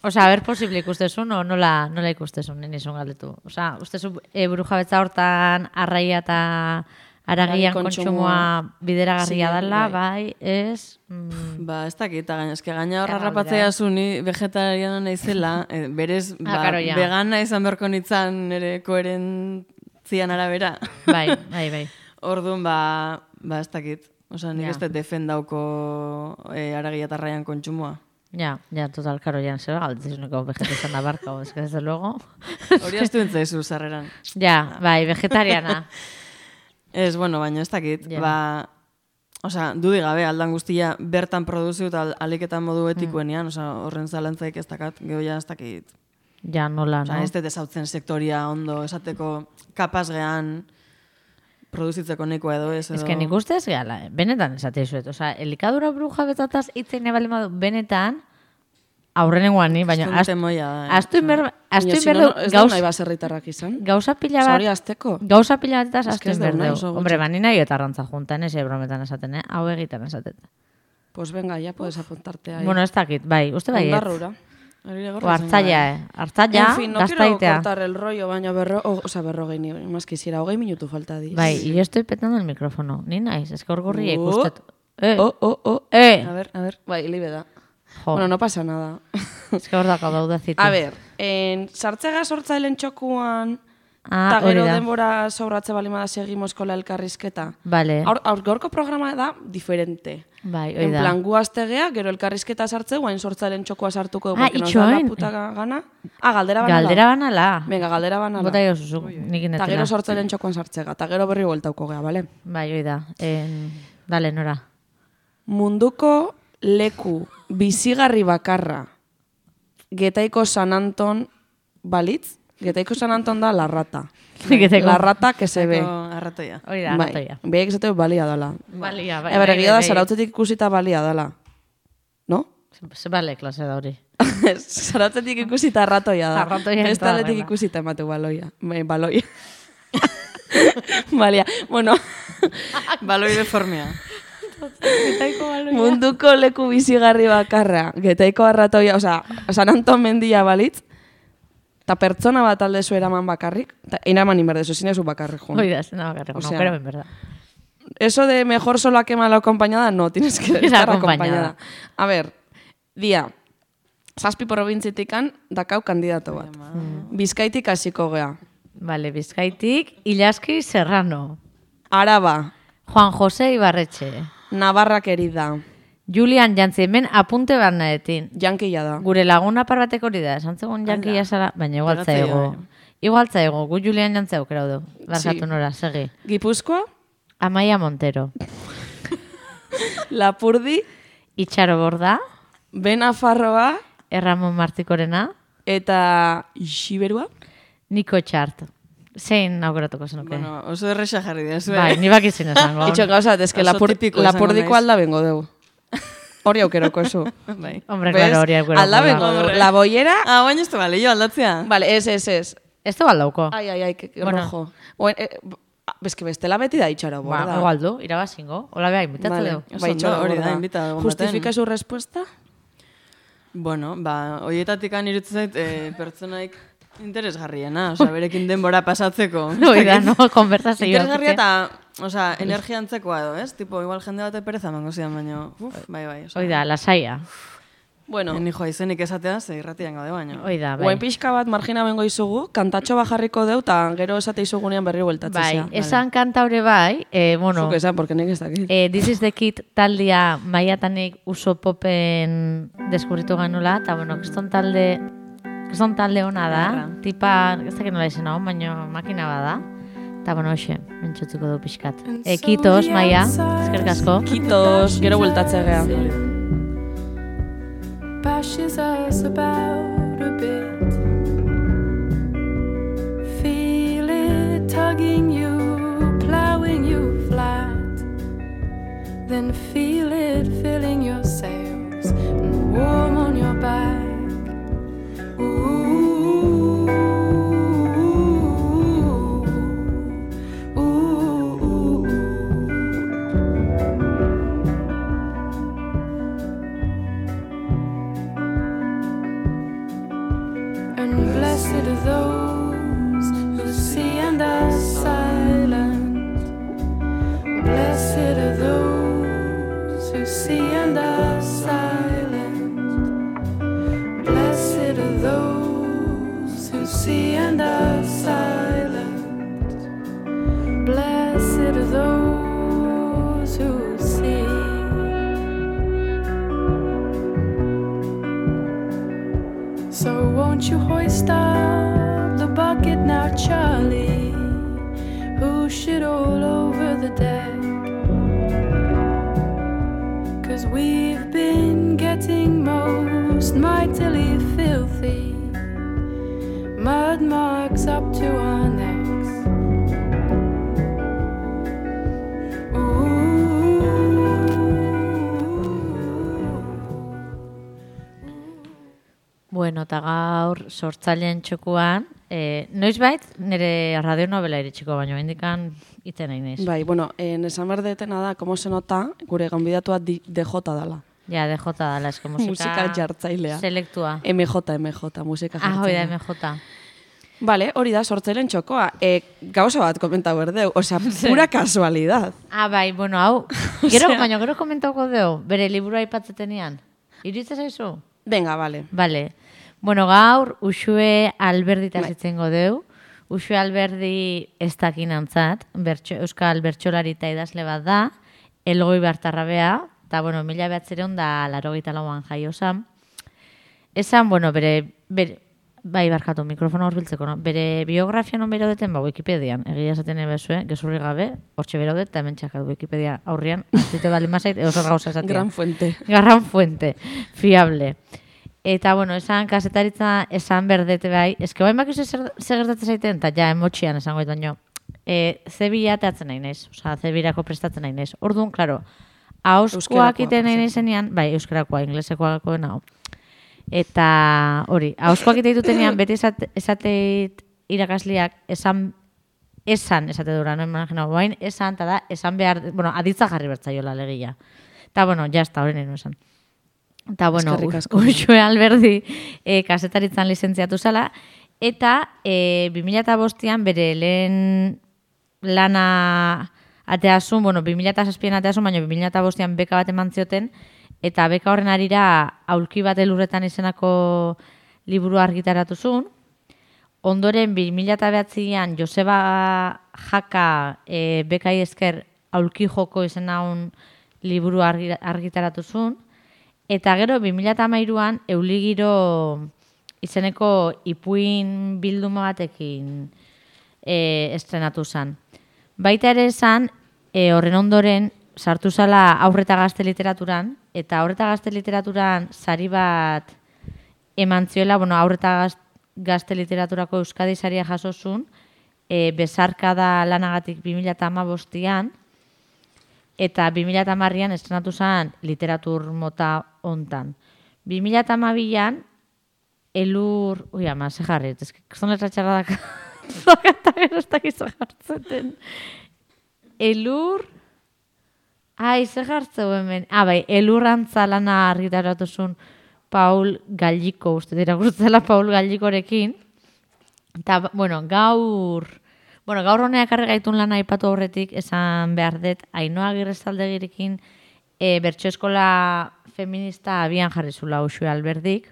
o sea, a ver, posible ikustezun, o nola, nola ikustezun, nizun galdetu. O sea, ustezun e, buru jabetza hortan arraia eta aragian kontsumoa bideragarria sí, dela, bai, ez... Mm. Ba, ez dakit, gaina, eske gaina horra rapatzea zuni vegetariana naizela, e, berez, ba, ah, claro, vegana izan berko nitzan ere koherentzian arabera. Bai, bai, bai. Orduan, ba, ba, ez dakit. Osa, nik ez defendauko e, aragia eta arraian kontsumoa. Ja, ja, total, karo, ja, zera galdetzizuneko vegetarian da barka, ez que desde luego. Hori astu entzaizu, zarreran. Ja, bai, vegetariana. Ez, bueno, baina ez dakit, yeah. Ba, oza, dudik gabe, aldan guztia bertan produziu eta aliketan modu etikoenian, mm. oza, horren zalantzaik ez dakat, geho ja ez dakit. Ja, nola, oza, no? Ez dut ezautzen sektoria ondo, esateko kapaz gehan produzitzeko nekoa edo ez edo... Ez que nik ustez gehala, benetan esate izuet, oza, elikadura bruja betzataz itzein nebali madu, benetan, aurrenengoan ni, baina... Aztu inber... Aztu inber... Ez da nahi baserritarrak izan. Gauza pila bat... Zori azteko. Gauza pila bat eta aztu inber deu. Hombre, bani nahi eta arrantza juntan, ez brometan esaten, eh? Hau egiten esaten. Pues venga, ya puedes apuntarte ahí. Bueno, ez dakit, bai, uste bai ez. Ondarrura. O hartzaia, eh? Hartzaia, en fin, no quiero cortar el rollo, baina berro... O, o sea, berrogei ni, más quisiera, hogei minutu falta diz. Bai, y yo estoy petando el micrófono. Ni naiz, es que orgurri uh, ikustet. Eh. Oh, oh, oh. Eh. A ver, a ver. Bai, libe da. Jo. Bueno, no pasa nada. Es que hor daka daudazitu. A ver, en sartzega sortzailen txokuan, eta ah, gero denbora sobratze balimada seguimos con la elkarrizketa. Vale. Aur, aur gorko programa da diferente. Bai, En hoi da. plan, gu aztegea, gero elkarrizketa sartze, guain sortzailen txokoa sartuko dugu, Ah, porque nos da la itxoin. puta gana. Ah, galdera banala. Galdera banala. Venga, galdera banala. Bota jo zuzuk, nik Eta inetela. gero sortzailen txokoan sartzega, eta gero berri bueltauko gea, bale? Bai, hoi da. En... Dale, Nora. Munduko leku bizigarri bakarra Getaiko San Anton balitz? Getaiko San Anton da la rata. Getaiko. La rata que se ve. Arratoia. Hoi da, Bai, ratoia. behek esate balia dala. Balia, bai. Eber, bai, egia da, bai. zarautzetik ikusita balia dala. No? Ze bale klase da hori. Zarautzetik ikusita ratoia da. Arratoia ez da Bestaletik horrela. ikusita ematu baloia. Bai, baloia. Balia. Bueno, Baloi deformea. munduko leku bizigarri bakarra. Getaiko arratoia, osea, San Anton mendia balitz, eta pertsona bat aldezu eraman bakarrik, eta eraman inberdezu, zinezu bakarrik, jun. Hoi da, zena bakarreko, no, Osea, pero en verdad. Eso de mejor sola que mal acompañada, no, tienes que estar acompañada. acompañada. A ver, dia, zazpi probintzitikan dakau kandidato bat. Bizkaitik hasiko gea. Vale, Bizkaitik, Ilaski Serrano. Araba, Juan José Ibarretxe. Navarra querida, Julian Jantzi, hemen apunte bat nahetin. jankila da. Gure laguna parbatek hori da, esan zegoen jankia zara, baina igual Pegatzea, zaigo. bai. Igual zaigo, gu Julian Jantzi aukera du. Barkatu Sí. Nora, segi. Gipuzkoa, Amaia Montero. Lapurdi, Itxaro Borda, Benafarroa, Erramon Martikorena, eta Xiberua. Niko Txart. Zein aukeratuko zenuke? Bueno, oso erresa jarri da, zue. Bai, ni bakizien esango. Itxo gauzat, eske Oso lapur, tipiko izango lapurdiko naiz. alda bengo dugu. Hori aukeroko ezu. Bai. Hombre, claro, hori aukeratuko. Alda bengo dugu. La boiera, Ah, baina ez da bale, jo aldatzea. vale, ez, ez, ez. Ez du baldauko. Ai, ai, ai, que, que Bueno. rojo. Bueno, eh, beske bestela beti da itxaro Ba, borda. igual du, irabazingo. Hola beha, imitatu Vale. dugu. Oso Bai, ondo, itxaro hori da, borda. invitado egon baten. Justifika su respuesta? Bueno, ba, hoietatik irutzen zait eh, pertsonaik interesgarriena, osea, berekin denbora pasatzeko. Hoi da, no, konversazio. Interesgarria eta, osea, energia antzekoa edo, ez? Tipo, igual jende bate pereza emango zidan, baina, uf, bai, bai, osea. Hoi da, lasaia. Bueno, En hijoa izenik esatea, ze irratian gaude baina. Hoi da, bai. guain pixka bat margina bengo izugu, kantatxo bajarriko deu, eta gero esate izugunean berri bueltatzea. Bai, esan kanta hori bai, eh, bueno, Zuk esan, porque nik ez dakit. eh, This is the Kid taldia maiatanik uso popen deskubritu ganula, eta bueno, kriston talde, kriston talde ona da, Ederra. tipa, ez dakit nola izena hon, baina makina bada. Eta bueno, hoxe, entzutzuko du pixkat. E, kitos, Maia, eskerrik asko. Kitos, gero bueltatzea gea. Bashes us about a bit. Feel it tugging you, plowing you flat. Then feel it filling your sails and warm on your back. Ooh, ooh, ooh. And blessed are those who see and are silent. Blessed are those who see and are silent. Blessed are those who see and are silent. Blessed are those who see. So won't you hoist up the bucket now, Charlie? Who shit all over the deck? 'Cause we've been getting most mightily filthy. Mud marks up to our necks. Bueno, eta gaur sortzaileen txokuan, eh, noiz bait, nire radionovela iritsiko baino, indikan iten nahi naiz. Bai, bueno, en esan behar detena da, como se nota, gure gonbidatua D J dala. Ja, D J dala, esko musika... Musika jartzailea. Selektua. M J, M J, musika Ah, hoi da, jartzailea. M J. Vale, hori da, sortzaileen txokoa. E, gauza bat komentau berdeu, osea, pura casualidad. Ah, bai, bueno, hau, gero, Osea- baina gero komentauko deu, bere liburua aipatzetenean. Iritze zaizu? Venga, vale. Vale. Bueno, gaur, Uxue Alberdita Bai. zitzengo deu. Uxue Alberdi ez dakinantzat, bertxo, euskal bertsolari eta idazle bat da, Elgoi Bartarrabea, eta eta, bueno, mila behatzireun da larogeita lauan jaio zan. Esan, bueno, bere, bere bai, barkatu, mikrofona horbiltzeko, no? Bere biografia non bero deten, ba, Wikipedian, egia esaten ebezue, gezurri gabe, hortxe bero det, eta hemen txakat Wikipedia aurrian, azite bali mazait, edo zer gauza esatia. Gran fuente. Gran fuente, fiable. Eta, bueno, esan kasetaritza esan berdete bai, eske bain bakizu zer gertatzen zaiten, eta ja, emotxian esango ez baino, e, ze bilateatzen nahi naiz, oza, ze birako prestatzen nahi naiz. Orduan, klaro, hauskoak iten nahi naizenean, bai, euskarakoa, inglesekoakoa nago. Eta hori, hauskoak ite ditutenean, beti esate, esateit irakasliak esan, esan esate dura, no imagino, bain esan, eta da, esan behar, bueno, aditza jarri bertzaiola legia. Eta, bueno, jazta, hori nahi esan. Eta, bueno, Uxue Alberdi e, kasetaritzan lizentziatu zala, eta e, bi mila bostean bere lehen lana ateazun, bueno, bi mila zazpian ateazun, baina bi mila bostean beka bat eman zioten, eta beka horren arira aulki bat elurretan izenako liburu argitaratu zuen. Ondoren, bi mila behatzian Joseba Jaka e, bekai esker aulki joko izena un liburu argitaratu zuen. Eta gero, bi mila hamairuan Euligiro izeneko ipuin bilduma batekin e, estrenatu zen. Baita ere esan, e, horren ondoren, sartu zala aurreta gazte literaturan, eta aurreta gazte literaturan sari bat eman zioela, bueno, aurreta gazte literaturako Euskadi saria jasozun, e, bezarkada lanagatik bi mila hamabostean, eta bi mila hamarrean estrenatu zen literatur mota hontan. bi mila hamabian elur... Ui, ama, ze jarrit, ez zon letra txarradak eta gero ez dakizu jartzeten. Elur... Ai, ze jartzeu hemen. Ah, bai, elurrantza lana argitaratu zuen Paul Galliko, uste dira gurtzela Paul Gallikorekin. Eta, bueno, gaur... Bueno, gaur honeak arregaitun lana aipatu aurretik, esan behar dut, Ainhoa Agirrezaldegirekin e, bertso eskola feminista abian jarri zula Uxue Alberdik.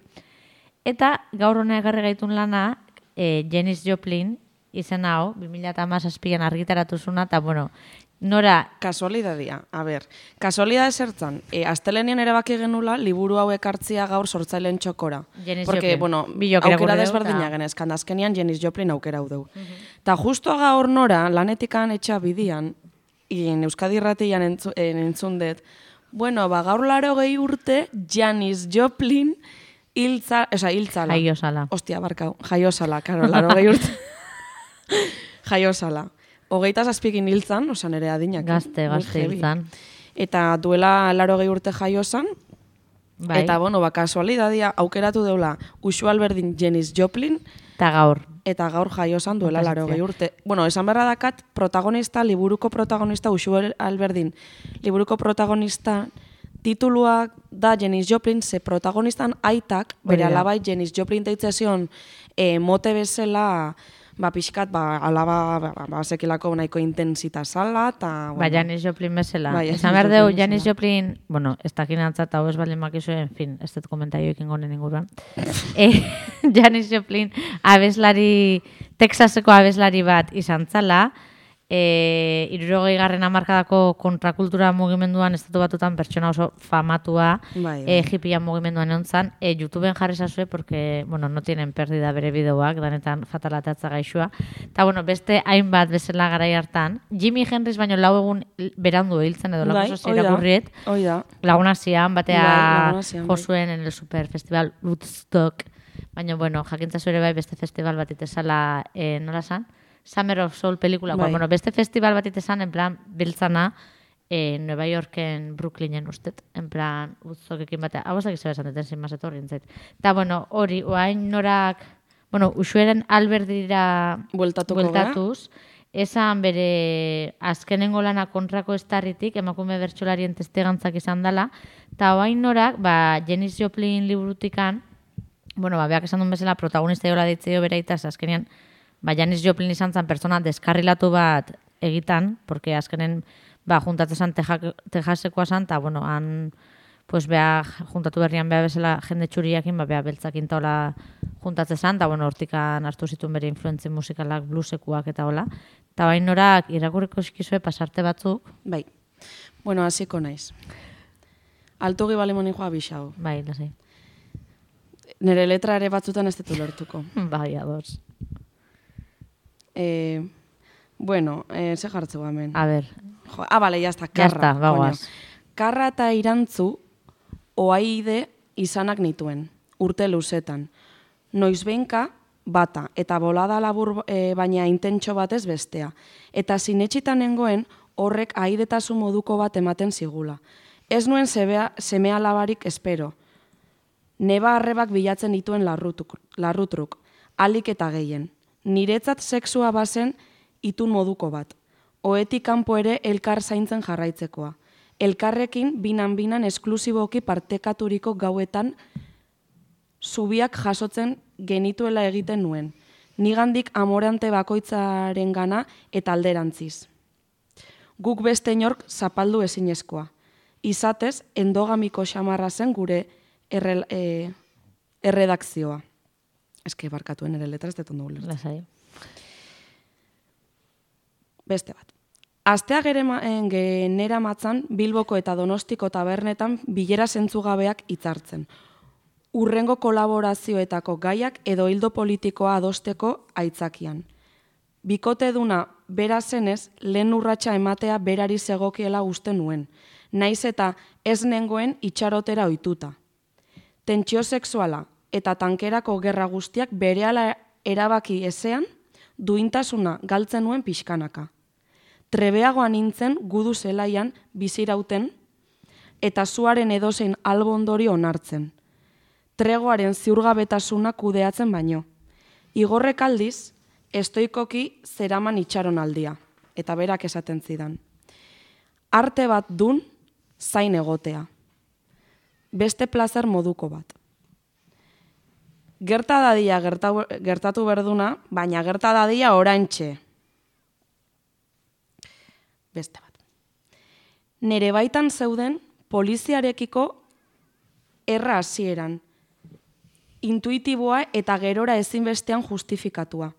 Eta gaur honeak arregaitun lana, e, Janis Joplin, izen hau, bi mila hamazazpian argitaratu zuna, eta, bueno, nora... Kasualidadia, a ber, kasualidade zertzan, e, astelenian erabaki genula, liburu hauek hartzia gaur sortzaileen txokora. Janis Porque, Joplin. bueno, Bilokera aukera gure desberdina deu, genezkan, azkenian Janis Joplin aukera hau deu. Eta justo gaur nora, lanetikan etxa bidian, in Euskadi Irratian entzu, entzun dut, bueno, ba, gaur laro gehi urte, Janis Joplin hiltza, oza, hiltzala. Jaiosala. Ostia, barkau, jaiosala, karo, laro gehi urte. Jaiosala. Hogeita zazpikin hiltzan, oza, nire adinak. Gazte, gazte hiltzan. Eta duela laro gehi urte jaiosan, Bai. eta, bueno, ba, kasualidadia aukeratu deula Uxue Alberdin Janis Joplin, Eta gaur. eta gaur jaiosan duela Kontazitzea. laro gehi urte. Bueno, esan berra dakat, protagonista, liburuko protagonista, Uxue Alberdin, liburuko protagonista, tituluak da Janis Joplin, ze protagonistan aitak, bere Hori da. alabai Janis Joplin deitzezion e, mote bezala, ba, pixkat, ba, alaba, ba, ba, sekilako nahiko intensita zala, eta... Ba, Janis Joplin bezala. Bai, Esan Janis behar dugu, Joplin Janis bezala. Joplin, bueno, ez dakin antzat, hau ez baldin makizu, en fin, ez dut komentario ekin gonen inguruan. e, Janis Joplin, abeslari, Texaseko abeslari bat izan zala, e, irurogei garren hamarkadako kontrakultura mugimenduan estatu batutan pertsona oso famatua, Bai, bai. e, hippian mugimenduan egon zan, e, YouTubeen jarri zazue, porque, bueno, no tienen perdida bere bideoak, danetan fatalatatza gaixua. Eta, bueno, beste hainbat bezala garai hartan, Jimi Hendrix baino lau egun berandu hiltzen edo Bai, lagu hoi da, irakurriet, hoi da. Laguna zian, batea Bai, Laguna Zian, bai. josuen en el Super Festival Woodstock. Baina, bueno, jakintzazu ere bai beste festival bat itezala, eh, nola zan? Summer of Soul pelikulakoa. Bai. Bueno, beste festival bat itezan, en plan, biltzana, eh, Nueva Yorken, Brooklynen ustet, en plan, Woodstockekin batea. Hau ezak izan esan deten, sin más etorri entzait. Eta, bueno, hori, oain norak, bueno, Uxueren Alberdira Bueltatuko gara. bueltatuz, esan bere azkenengo lana kontrako estarritik, emakume bertsolarien testegantzak izan dela, eta oain norak, ba, Janis Joplin liburutikan, bueno, ba, beak esan duen bezala, protagonista jola ditzeo bere itaz, azkenean, ba, Janis Joplin izan zen pertsona deskarrilatu bat egitan, porque azkenen, ba, juntatzen zen Texasekoa zen, eta, bueno, han, pues, beha, juntatu berrian beha bezala jende txuriakin, ba, beha beltzakin taola juntatzen zen, eta, bueno, hortikan hartu zituen bere influentzia musikalak, bluesekuak eta hola. Eta bain norak irakurriko eskizue pasarte batzuk. Bai. Bueno, hasiko naiz. Altugi balimoni joa bixau. Bai, lasai. Nere letra ere batzutan ez ditu lertuko. Bai, ados. Eh, bueno, eh, ze jartzeu hemen. A ver. Jo, ah, bale, jazta, Ya karra. está, bagoaz. Coño. Karra eta irantzu oaide izanak nituen, urte luzetan. Noizbeinka bata, eta bolada labur e, baina intentxo batez bestea. Eta sinetxitan nengoen horrek aidetasun moduko bat ematen zigula. Ez nuen sebea, semea labarik espero. Neba arrebak bilatzen dituen larrutuk, larrutruk, alik eta gehien. Niretzat sexua bazen itun moduko bat. Oetik kanpo ere elkar zaintzen jarraitzekoa. Elkarrekin binan-binan esklusiboki partekaturiko gauetan zubiak jasotzen genituela egiten nuen. Nigandik amorante bakoitzaren gana eta alderantziz. Guk beste inork zapaldu ezinezkoa. Izatez, endogamiko xamarra zen gure erre, e, erredakzioa. Eske barkatuen ere letra ez detondu gulertzen. Lasai. Beste bat. Astea genera matzan Bilboko eta Donostiko tabernetan bilera zentzugabeak hitzartzen. Urrengo kolaborazioetako gaiak edo hildo politikoa adosteko aitzakian. Bikote duna bera zenez, lehen urratsa ematea berari zegokiela uste nuen, naiz eta ez nengoen itxarotera ohituta. Tentsio sexuala eta tankerako gerra guztiak berehala erabaki ezean, duintasuna galtzen nuen pixkanaka. Trebeagoa nintzen gudu zelaian bizirauten eta zuaren edozein albondori onartzen. Tregoaren ziurgabetasuna kudeatzen baino. Igorrek aldiz, estoikoki zeraman itxaron aldia, eta berak esaten zidan. Arte bat dun, zain egotea. Beste plazer moduko bat. Gerta dadia gertatu berduna, baina gerta dadia oraintxe. Beste bat. Nere baitan zeuden poliziarekiko erra hasieran. Intuitiboa eta gerora ezinbestean justifikatua.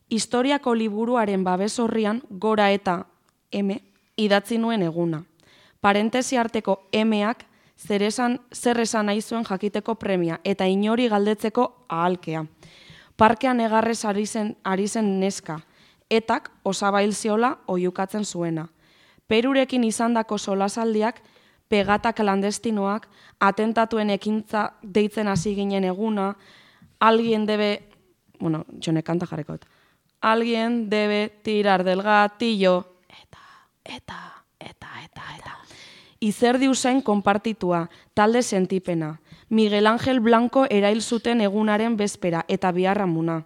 Historiako liburuaren babes horrian gora eta M idatzi nuen eguna. Parentesi arteko M-ak zer esan, zer esan nahi zuen jakiteko premia eta inori galdetzeko ahalkea. Parkean egarrez ari zen, ari zen neska, etak osabail ziola oiukatzen zuena. Perurekin izandako solasaldiak, pegata klandestinoak, atentatuen ekintza deitzen hasi ginen eguna, alguien debe, bueno, jone kanta jarrekot, alguien debe tirar del gatillo, eta, eta, eta, eta, eta. Izerdi usain konpartitua, talde sentipena, Miguel Ángel Blanco erail zuten egunaren bezpera eta biharramuna.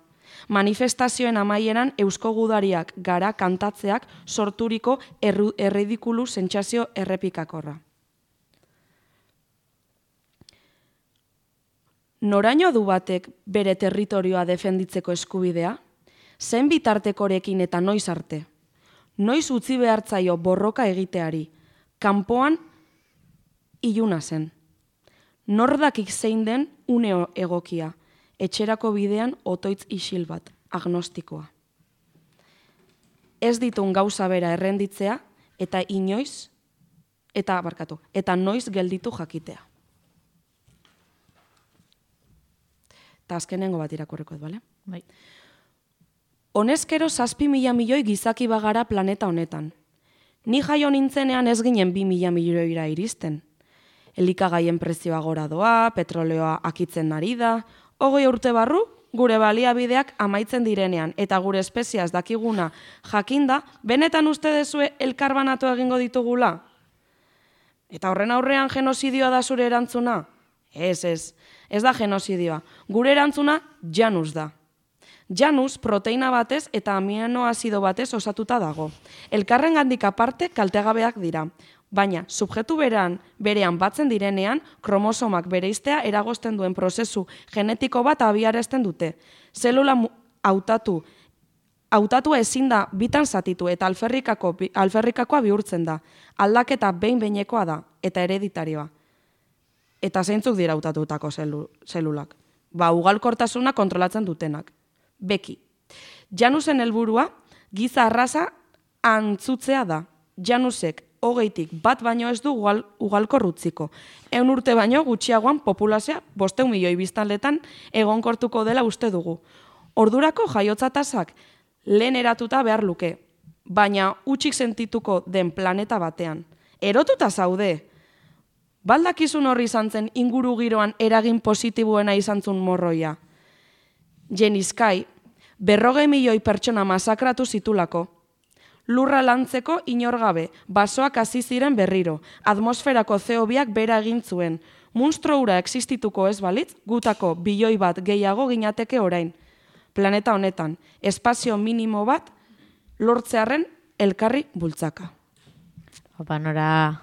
Manifestazioen amaieran eusko gudariak gara kantatzeak sorturiko erridikulu sentsazio errepikakorra. Noraino du batek bere territorioa defenditzeko eskubidea? Zen bitartekorekin eta noiz arte? Noiz utzi behartzaio borroka egiteari? Kanpoan iluna zen. Nordakik zein den une egokia? Etxerako bidean otoitz isil bat, agnostikoa. Ez ditun gauza bera errenditzea eta inoiz, eta barkatu, eta noiz gelditu jakitea. Eta azkenengo bat irakurreko, bale? Bai. Honezkero zazpi mila milioi gizaki bagara planeta honetan. Ni jaio nintzenean ez ginen bi mila milioira iristen. Elikagaien prezioa gora doa, petroleoa akitzen ari da, hogei urte barru, gure baliabideak amaitzen direnean, eta gure espeziaz dakiguna jakinda, benetan uste dezue elkarbanatu egingo ditugula? Eta horren aurrean genozidioa da zure erantzuna? Ez, ez, ez da genozidioa. Gure erantzuna Janus da. Janus proteina batez eta aminoazido batez osatuta dago. Elkarren gandik aparte kaltegabeak dira. Baina, subjektu berean, berean batzen direnean, kromosomak bereiztea eragozten duen prozesu genetiko bat abiarazten dute. Zelula hautatu, hautatua ezin da bitan zatitu eta alferrikako, alferrikakoa bihurtzen da. Aldaketa behin-behinekoa da eta hereditarioa. Eta zeintzuk dira hautatutako zelu, zelulak. Ba, ugalkortasuna kontrolatzen dutenak. Beki. Janusen helburua giza arraza antzutzea da. Janusek hogeitik bat baino ez du ugal, ugalkor utziko. Eun urte baino gutxiagoan populazioa bosteun milioi biztanletan egonkortuko dela uste dugu. Ordurako jaiotza tasak lehen eratuta behar luke, baina utxik sentituko den planeta batean. Erotuta zaude! Baldakizun horri izan zen inguru giroan eragin positiboena izan zun morroia. Jenizkai, berrogei milioi pertsona masakratu zitulako. Lurra lantzeko inor gabe, basoak hasi ziren berriro, atmosferako C O biak bera egin zuen. Munstro hura existituko ez balitz, gutako bilioi bat gehiago ginateke orain. Planeta honetan, espazio minimo bat lortzearren elkarri bultzaka. Opa, nora...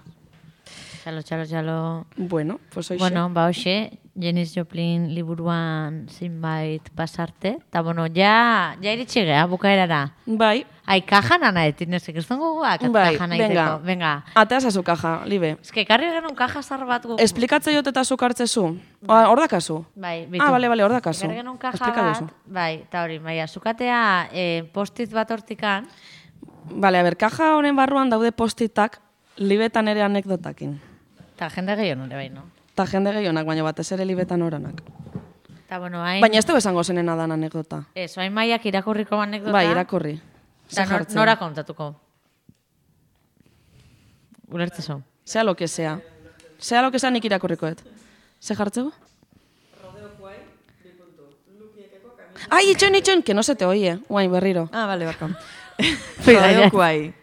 Txalo, txalo, txalo... Bueno, pues hoxe. Bueno, ba hoxe, Janis Joplin liburuan zinbait pasarte. Ta bueno, ja, ja iritsi gea, bukaerara. Bai. Ai, kajan ana etin, ez ikizten gogoak, Bai, kajan venga. aiteko. Venga. Atea zazu kaja, libe. Ez que karri genuen kaja zar bat gu. Esplikatze jot eta zuk hartzezu. Hor dakazu. Bai, bitu. Ah, bale, bale, hor dakazu. Karri genuen kaja Esplika bat, duzu. bai, eta hori, bai, azukatea eh, postit bat hortikan. Bale, a ber, kaja honen barruan daude postitak libetan ere anekdotakin. Eta jende gehiago nire bai, no? Ta jende gehionak, baina batez ere libetan oranak. Eta bueno, hain... Baina ez dugu esango zenena dan anekdota. Ez, hain maiak irakurriko anekdota. Bai, irakurri. Ze Eta nor, jartzen. nora kontatuko. Ulertzezo. Sea lo que sea. Sea lo que sea nik irakurrikoet. Ze jartzego? Ai, itxoin, itxoin, que no se te oie. Guain, berriro. Ah, bale, barko. Mira, ya. Rodeokuai.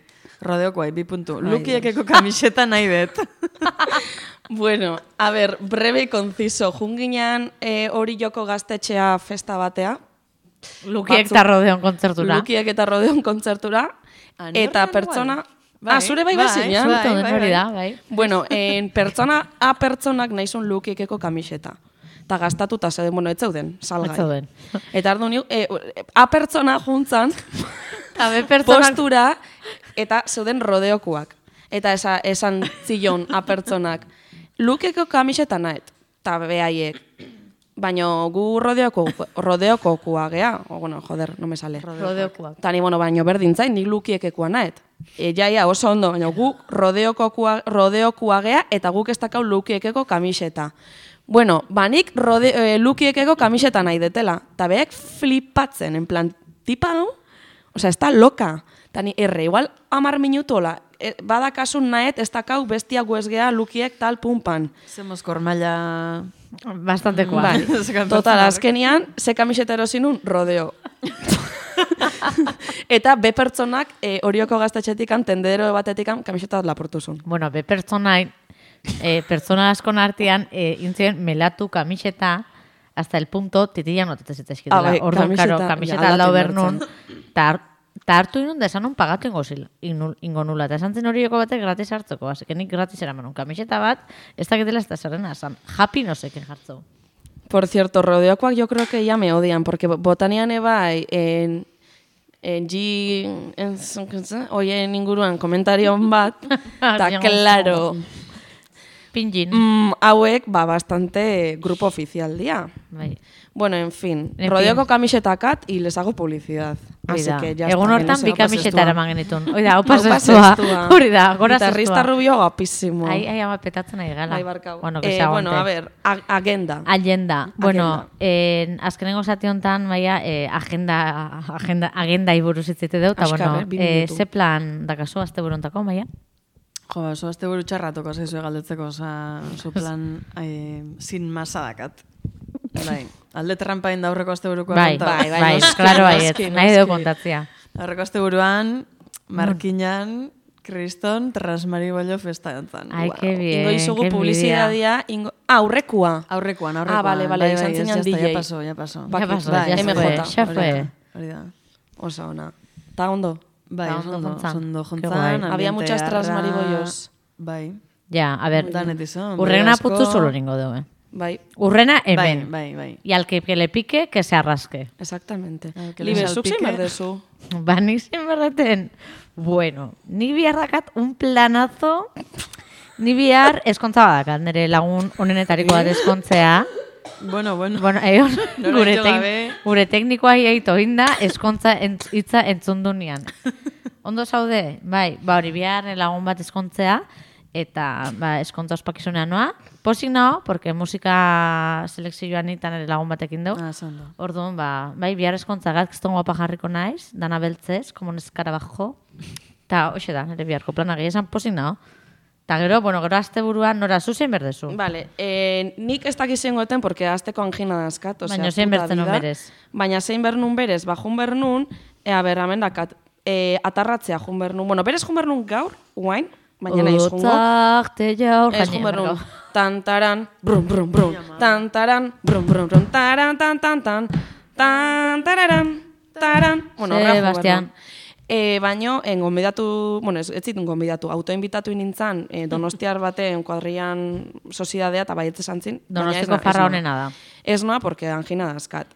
Rodeokuai, bi puntu. Lukiekeko kamiseta nahi bet. Bueno, a ver, breve y conciso. Junginan eh, hori joko gaztetxea festa batea. Lukiek Batzuk- eta rodeon kontzertura. Lukiek eta rodeon kontzertura. Ah, ni Eta horretan pertsona... igual. Bai, ah, zure bai bai, bazinean? bai. Zuto den hori da, bai. Bueno, en pertsona A pertsonak nahizun lukiekeko kamiseta. Eta gastatuta zeuden, bueno, ez zeuden, salgai. Ez zeuden. Eta ardu ni, eh, A pertsona juntzan, Eta be pertsonak... postura, eta zeuden rodeokuak. Eta esa, esan zillon A pertsonak, lukieko kamiseta nahet, eta behaiek. Baina gu rodeoko, rodeokokua gea, o, bueno, joder, no me sale. Rodeokuak. Tani, bueno, baino berdin zain, nik lukiekekua nahet. E, jaia, oso ondo, baina gu rodeokokua, rodeokua gea, eta guk ez dakau lukiekeko kamiseta. Bueno, ba nik rode, e, lukiekeko kamiseta nahi detela. Eta behek flipatzen, en plan, tipa no? Osea, ez da loka. Tani, erre, igual, amar minutola, e, badakasun nahet, ez dakau bestia guezgea lukiek tal pumpan. Zemos kormaila... Bastantekoa. Bai, total, azkenian, ze kamiseta erosinun, rodeo. Eta be pertsonak e, orioko gaztetxetikan, tendero batetikan, kamiseta bat lapurtuzun. Bueno, be pertsonain, eh, pertsona askon artean, eh, intzien melatu kamiseta, hasta el punto, titilla notetez eta eskidela. Ah, bai, Orduan, kamiseta, karo, kamiseta ja, aldau aldaten bernun, eta Ta hartu inun da esan un pagatu ingo, zil, inul, ingo nula. Eta esan zen horioko batek gratis hartzeko. Así que nik gratis eraman un kamiseta bat, ez dakitela ez da zerrena esan. Happy no seken jartzeu. Por cierto, rodeokoak yo creo que ya me odian, porque botanian ebai, en, en G, en, oien inguruan komentarion bat, eta claro, Pinjin. mm, hauek, ba, bastante grupo oficial dia. Bai. Bueno, en fin, En rodeoko fin. kamisetakat y les hago publicidad. Así Oida, que ya egun está, hortan que no bi se va kamiseta pasestua. eraman genitun. Oida, hau Hau pasestua. pasestua. Hori da, gora Guitarrista zestua. rubio guapísimo. Ai, ai, ama petatzen nahi gala. Bai, barkau. Bueno, que eh, se bueno, aguante. a ver, ag- agenda. Agenda. Bueno, eh, azkenengo zati honetan, maia, eh, agenda, agenda, agenda iburuz itzite dut, eta, Azkar, bueno, eh, bi eh, minutu. ze plan dakazu azte burontako, maia? Jo, oso azte buru txarratuko zaizu galdetzeko, oza, zu plan eh, sin masa dakat. Bai, alde trampain da aurreko azte buruko Bai, bai, bai, bai, noski, klaro baiet, noski, nahi noski. dugu kontatzia. Aurreko azte buruan, Markinan, Kriston, Transmaribollo festa jontzan. Ai, Wow. que bien, Ingo izugu que publizidadia, ingo... Ah, aurrekua. Aurrekoan, aurrekoan. Ah, bale, bale, bai, izan bai, zinan ez, ya está, D J. Ya pasó, ya pasó. Ya Bakit, pasó, bai, ya se M fue, J. ya Hori fue. da, hori da. Oso ona. Ta ondo. Bai, Ba, oso ondo ondo, jontzan. ondo Qué guai. jontzan. Había muchas ambiente transmaribollos. arra- Bai. Ja, a ber, Danet izan, urrena bai, asko. putzu solo ningo dugu, eh. Bai, Urrena Bai, hemen. bai, bai. Y al que, que le pique, que se arrasque. exactamente. Ah, que le Libe, zuk salpique. zein berdezu. Ba, nik zein berreten. Bueno, ni bihar dakat un planazo, ni bihar eskontza badakat, nire lagun onenetariko bat eskontzea. Bueno, bueno. Bueno, egon, Nora gure, jo tek, gabe. gure teknikoa hiaito inda, eskontza entz, hitza entzundu nian. Ondo zaude, bai, ba hori bihar lagun bat eskontzea, eta ba, eskontza ospakizunean noa. Posik nao, porque musika selekzioan nitan ere lagun batekin dugu. Ah, zondo. Orduan, ba, bai, bihar eskontza gat, kiston guapa jarriko naiz, dana beltzez, como neskara bajo. Ta, hoxe da, nire biharko plana gehi esan posik nao. Ta gero, bueno, gero azte buruan nora zu zein berdezu. Vale, eh, nik ez dakizen goten, porque azteko angina dazkat. Baina zein bertzen non berez. Baina zein bernun berez, ba, jun bernun, ea berramen dakat, e, atarratzea jun bernun. Bueno, berez jun bernun gaur, guain, baina nahiz jungo. Otzak, te jaur, Ez jun bernun, tantaran, brum, brum, brum, tantaran, brum, brum, brum, taran, tan, tan, tan, tan, tararan, taran. Bueno, horra jun bernun. E, baino, en gonbidatu, bueno, ez, ez zitun gonbidatu, autoinbitatu nintzen e, donostiar baten kuadrian soziedadea, eta baietze zantzin. Donostiko farra honena da. Ez noa, porque angina dazkat.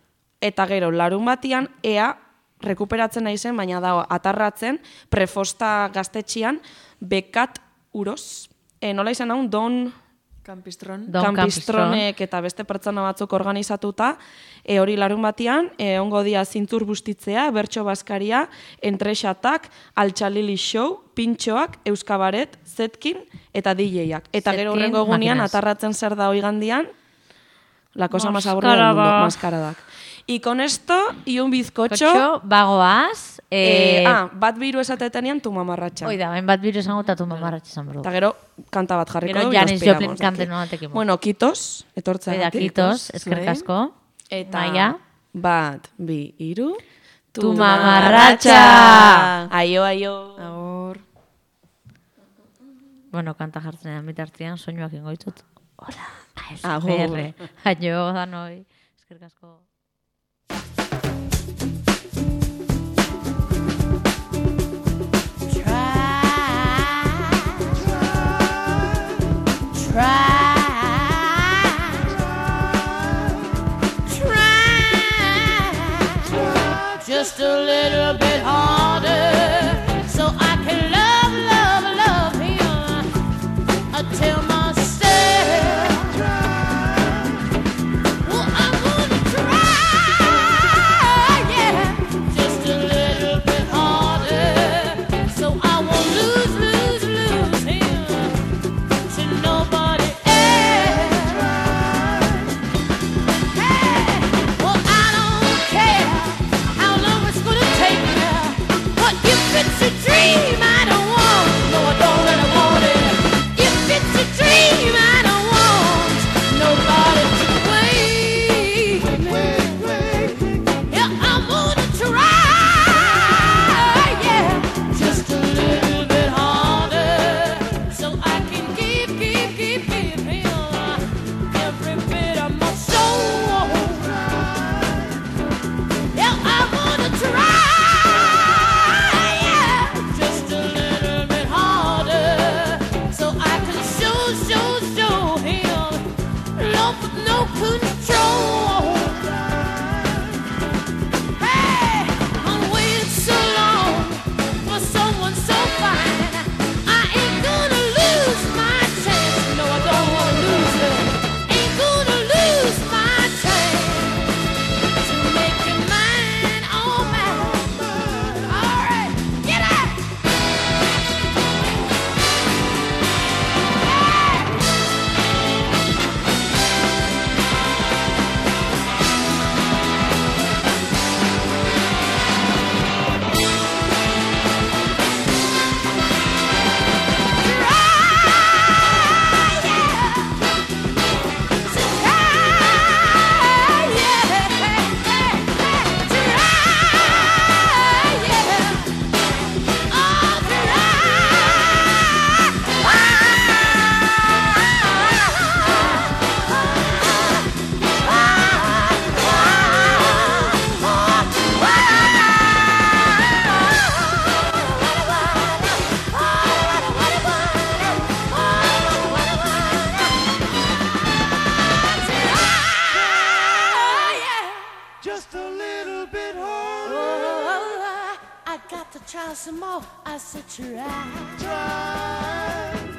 Eta gero, larun batian, ea, rekuperatzen nahi zen, baina dago, atarratzen, prefosta gaztetxian, bekat uroz. E, nola izan hau, don... Kampistron. Don Kampistronek eta beste pertsona batzuk organizatuta, e, hori larun batian, e, ongo dia zintzur bustitzea, bertso baskaria, entrexatak, altxalili show, pintxoak, euskabaret, zetkin eta D J-ak. Eta gero Zetkin, horrengo egunean, makinas. atarratzen zer da hoigandian, la cosa más aburrida del mundo, maskaradak. Y con esto, y un bizcocho... Kotxo, bagoaz. Eh, Eh, ah, bat biru esatetenean tu mamarratxa. Oida, hain bat biru esango eta tu mamarratxe esan berdu. Eta gero, kanta bat jarriko Gero dugu, Janis nos Joplin piramos kante de aquí. noatekin. Bueno, kitos, etortza Oida, kitos, eskerrik asko. Eta Maia. bat, bi, iru, Tu mamarratxa! Aio, aio. Agur. Bueno, kanta jartzenean bitartean, soinuak ingo ditut. Hola, A Agur. S M R. Aio, danoi. Eskerrik asko. Just a little bit harder, so I can love, love, love him until myself. Well, I'm gonna try, yeah, just a little bit harder, so I won't lose, lose, lose him to nobody else. Hey, well, I don't care how long it's gonna take me, but if it's a dream I don't want, no I don't really want it. If it's a dream I don't want nobody to wait. Yeah, I'm gonna try, yeah, just a little bit harder, so I can give, give, give, give him every bit of my soul. Yeah, I'm gonna try, yeah, just a little bit harder, so I can show, show, show him love with no control. Hey, I'm waiting so long for someone so fine. I ain't gonna lose my chance. No, I don't wanna lose it. Ain't gonna lose my chance to make you mine, oh mine. All right, get out. Just a little bit harder. Oh, I got to try some more. I said try. Try.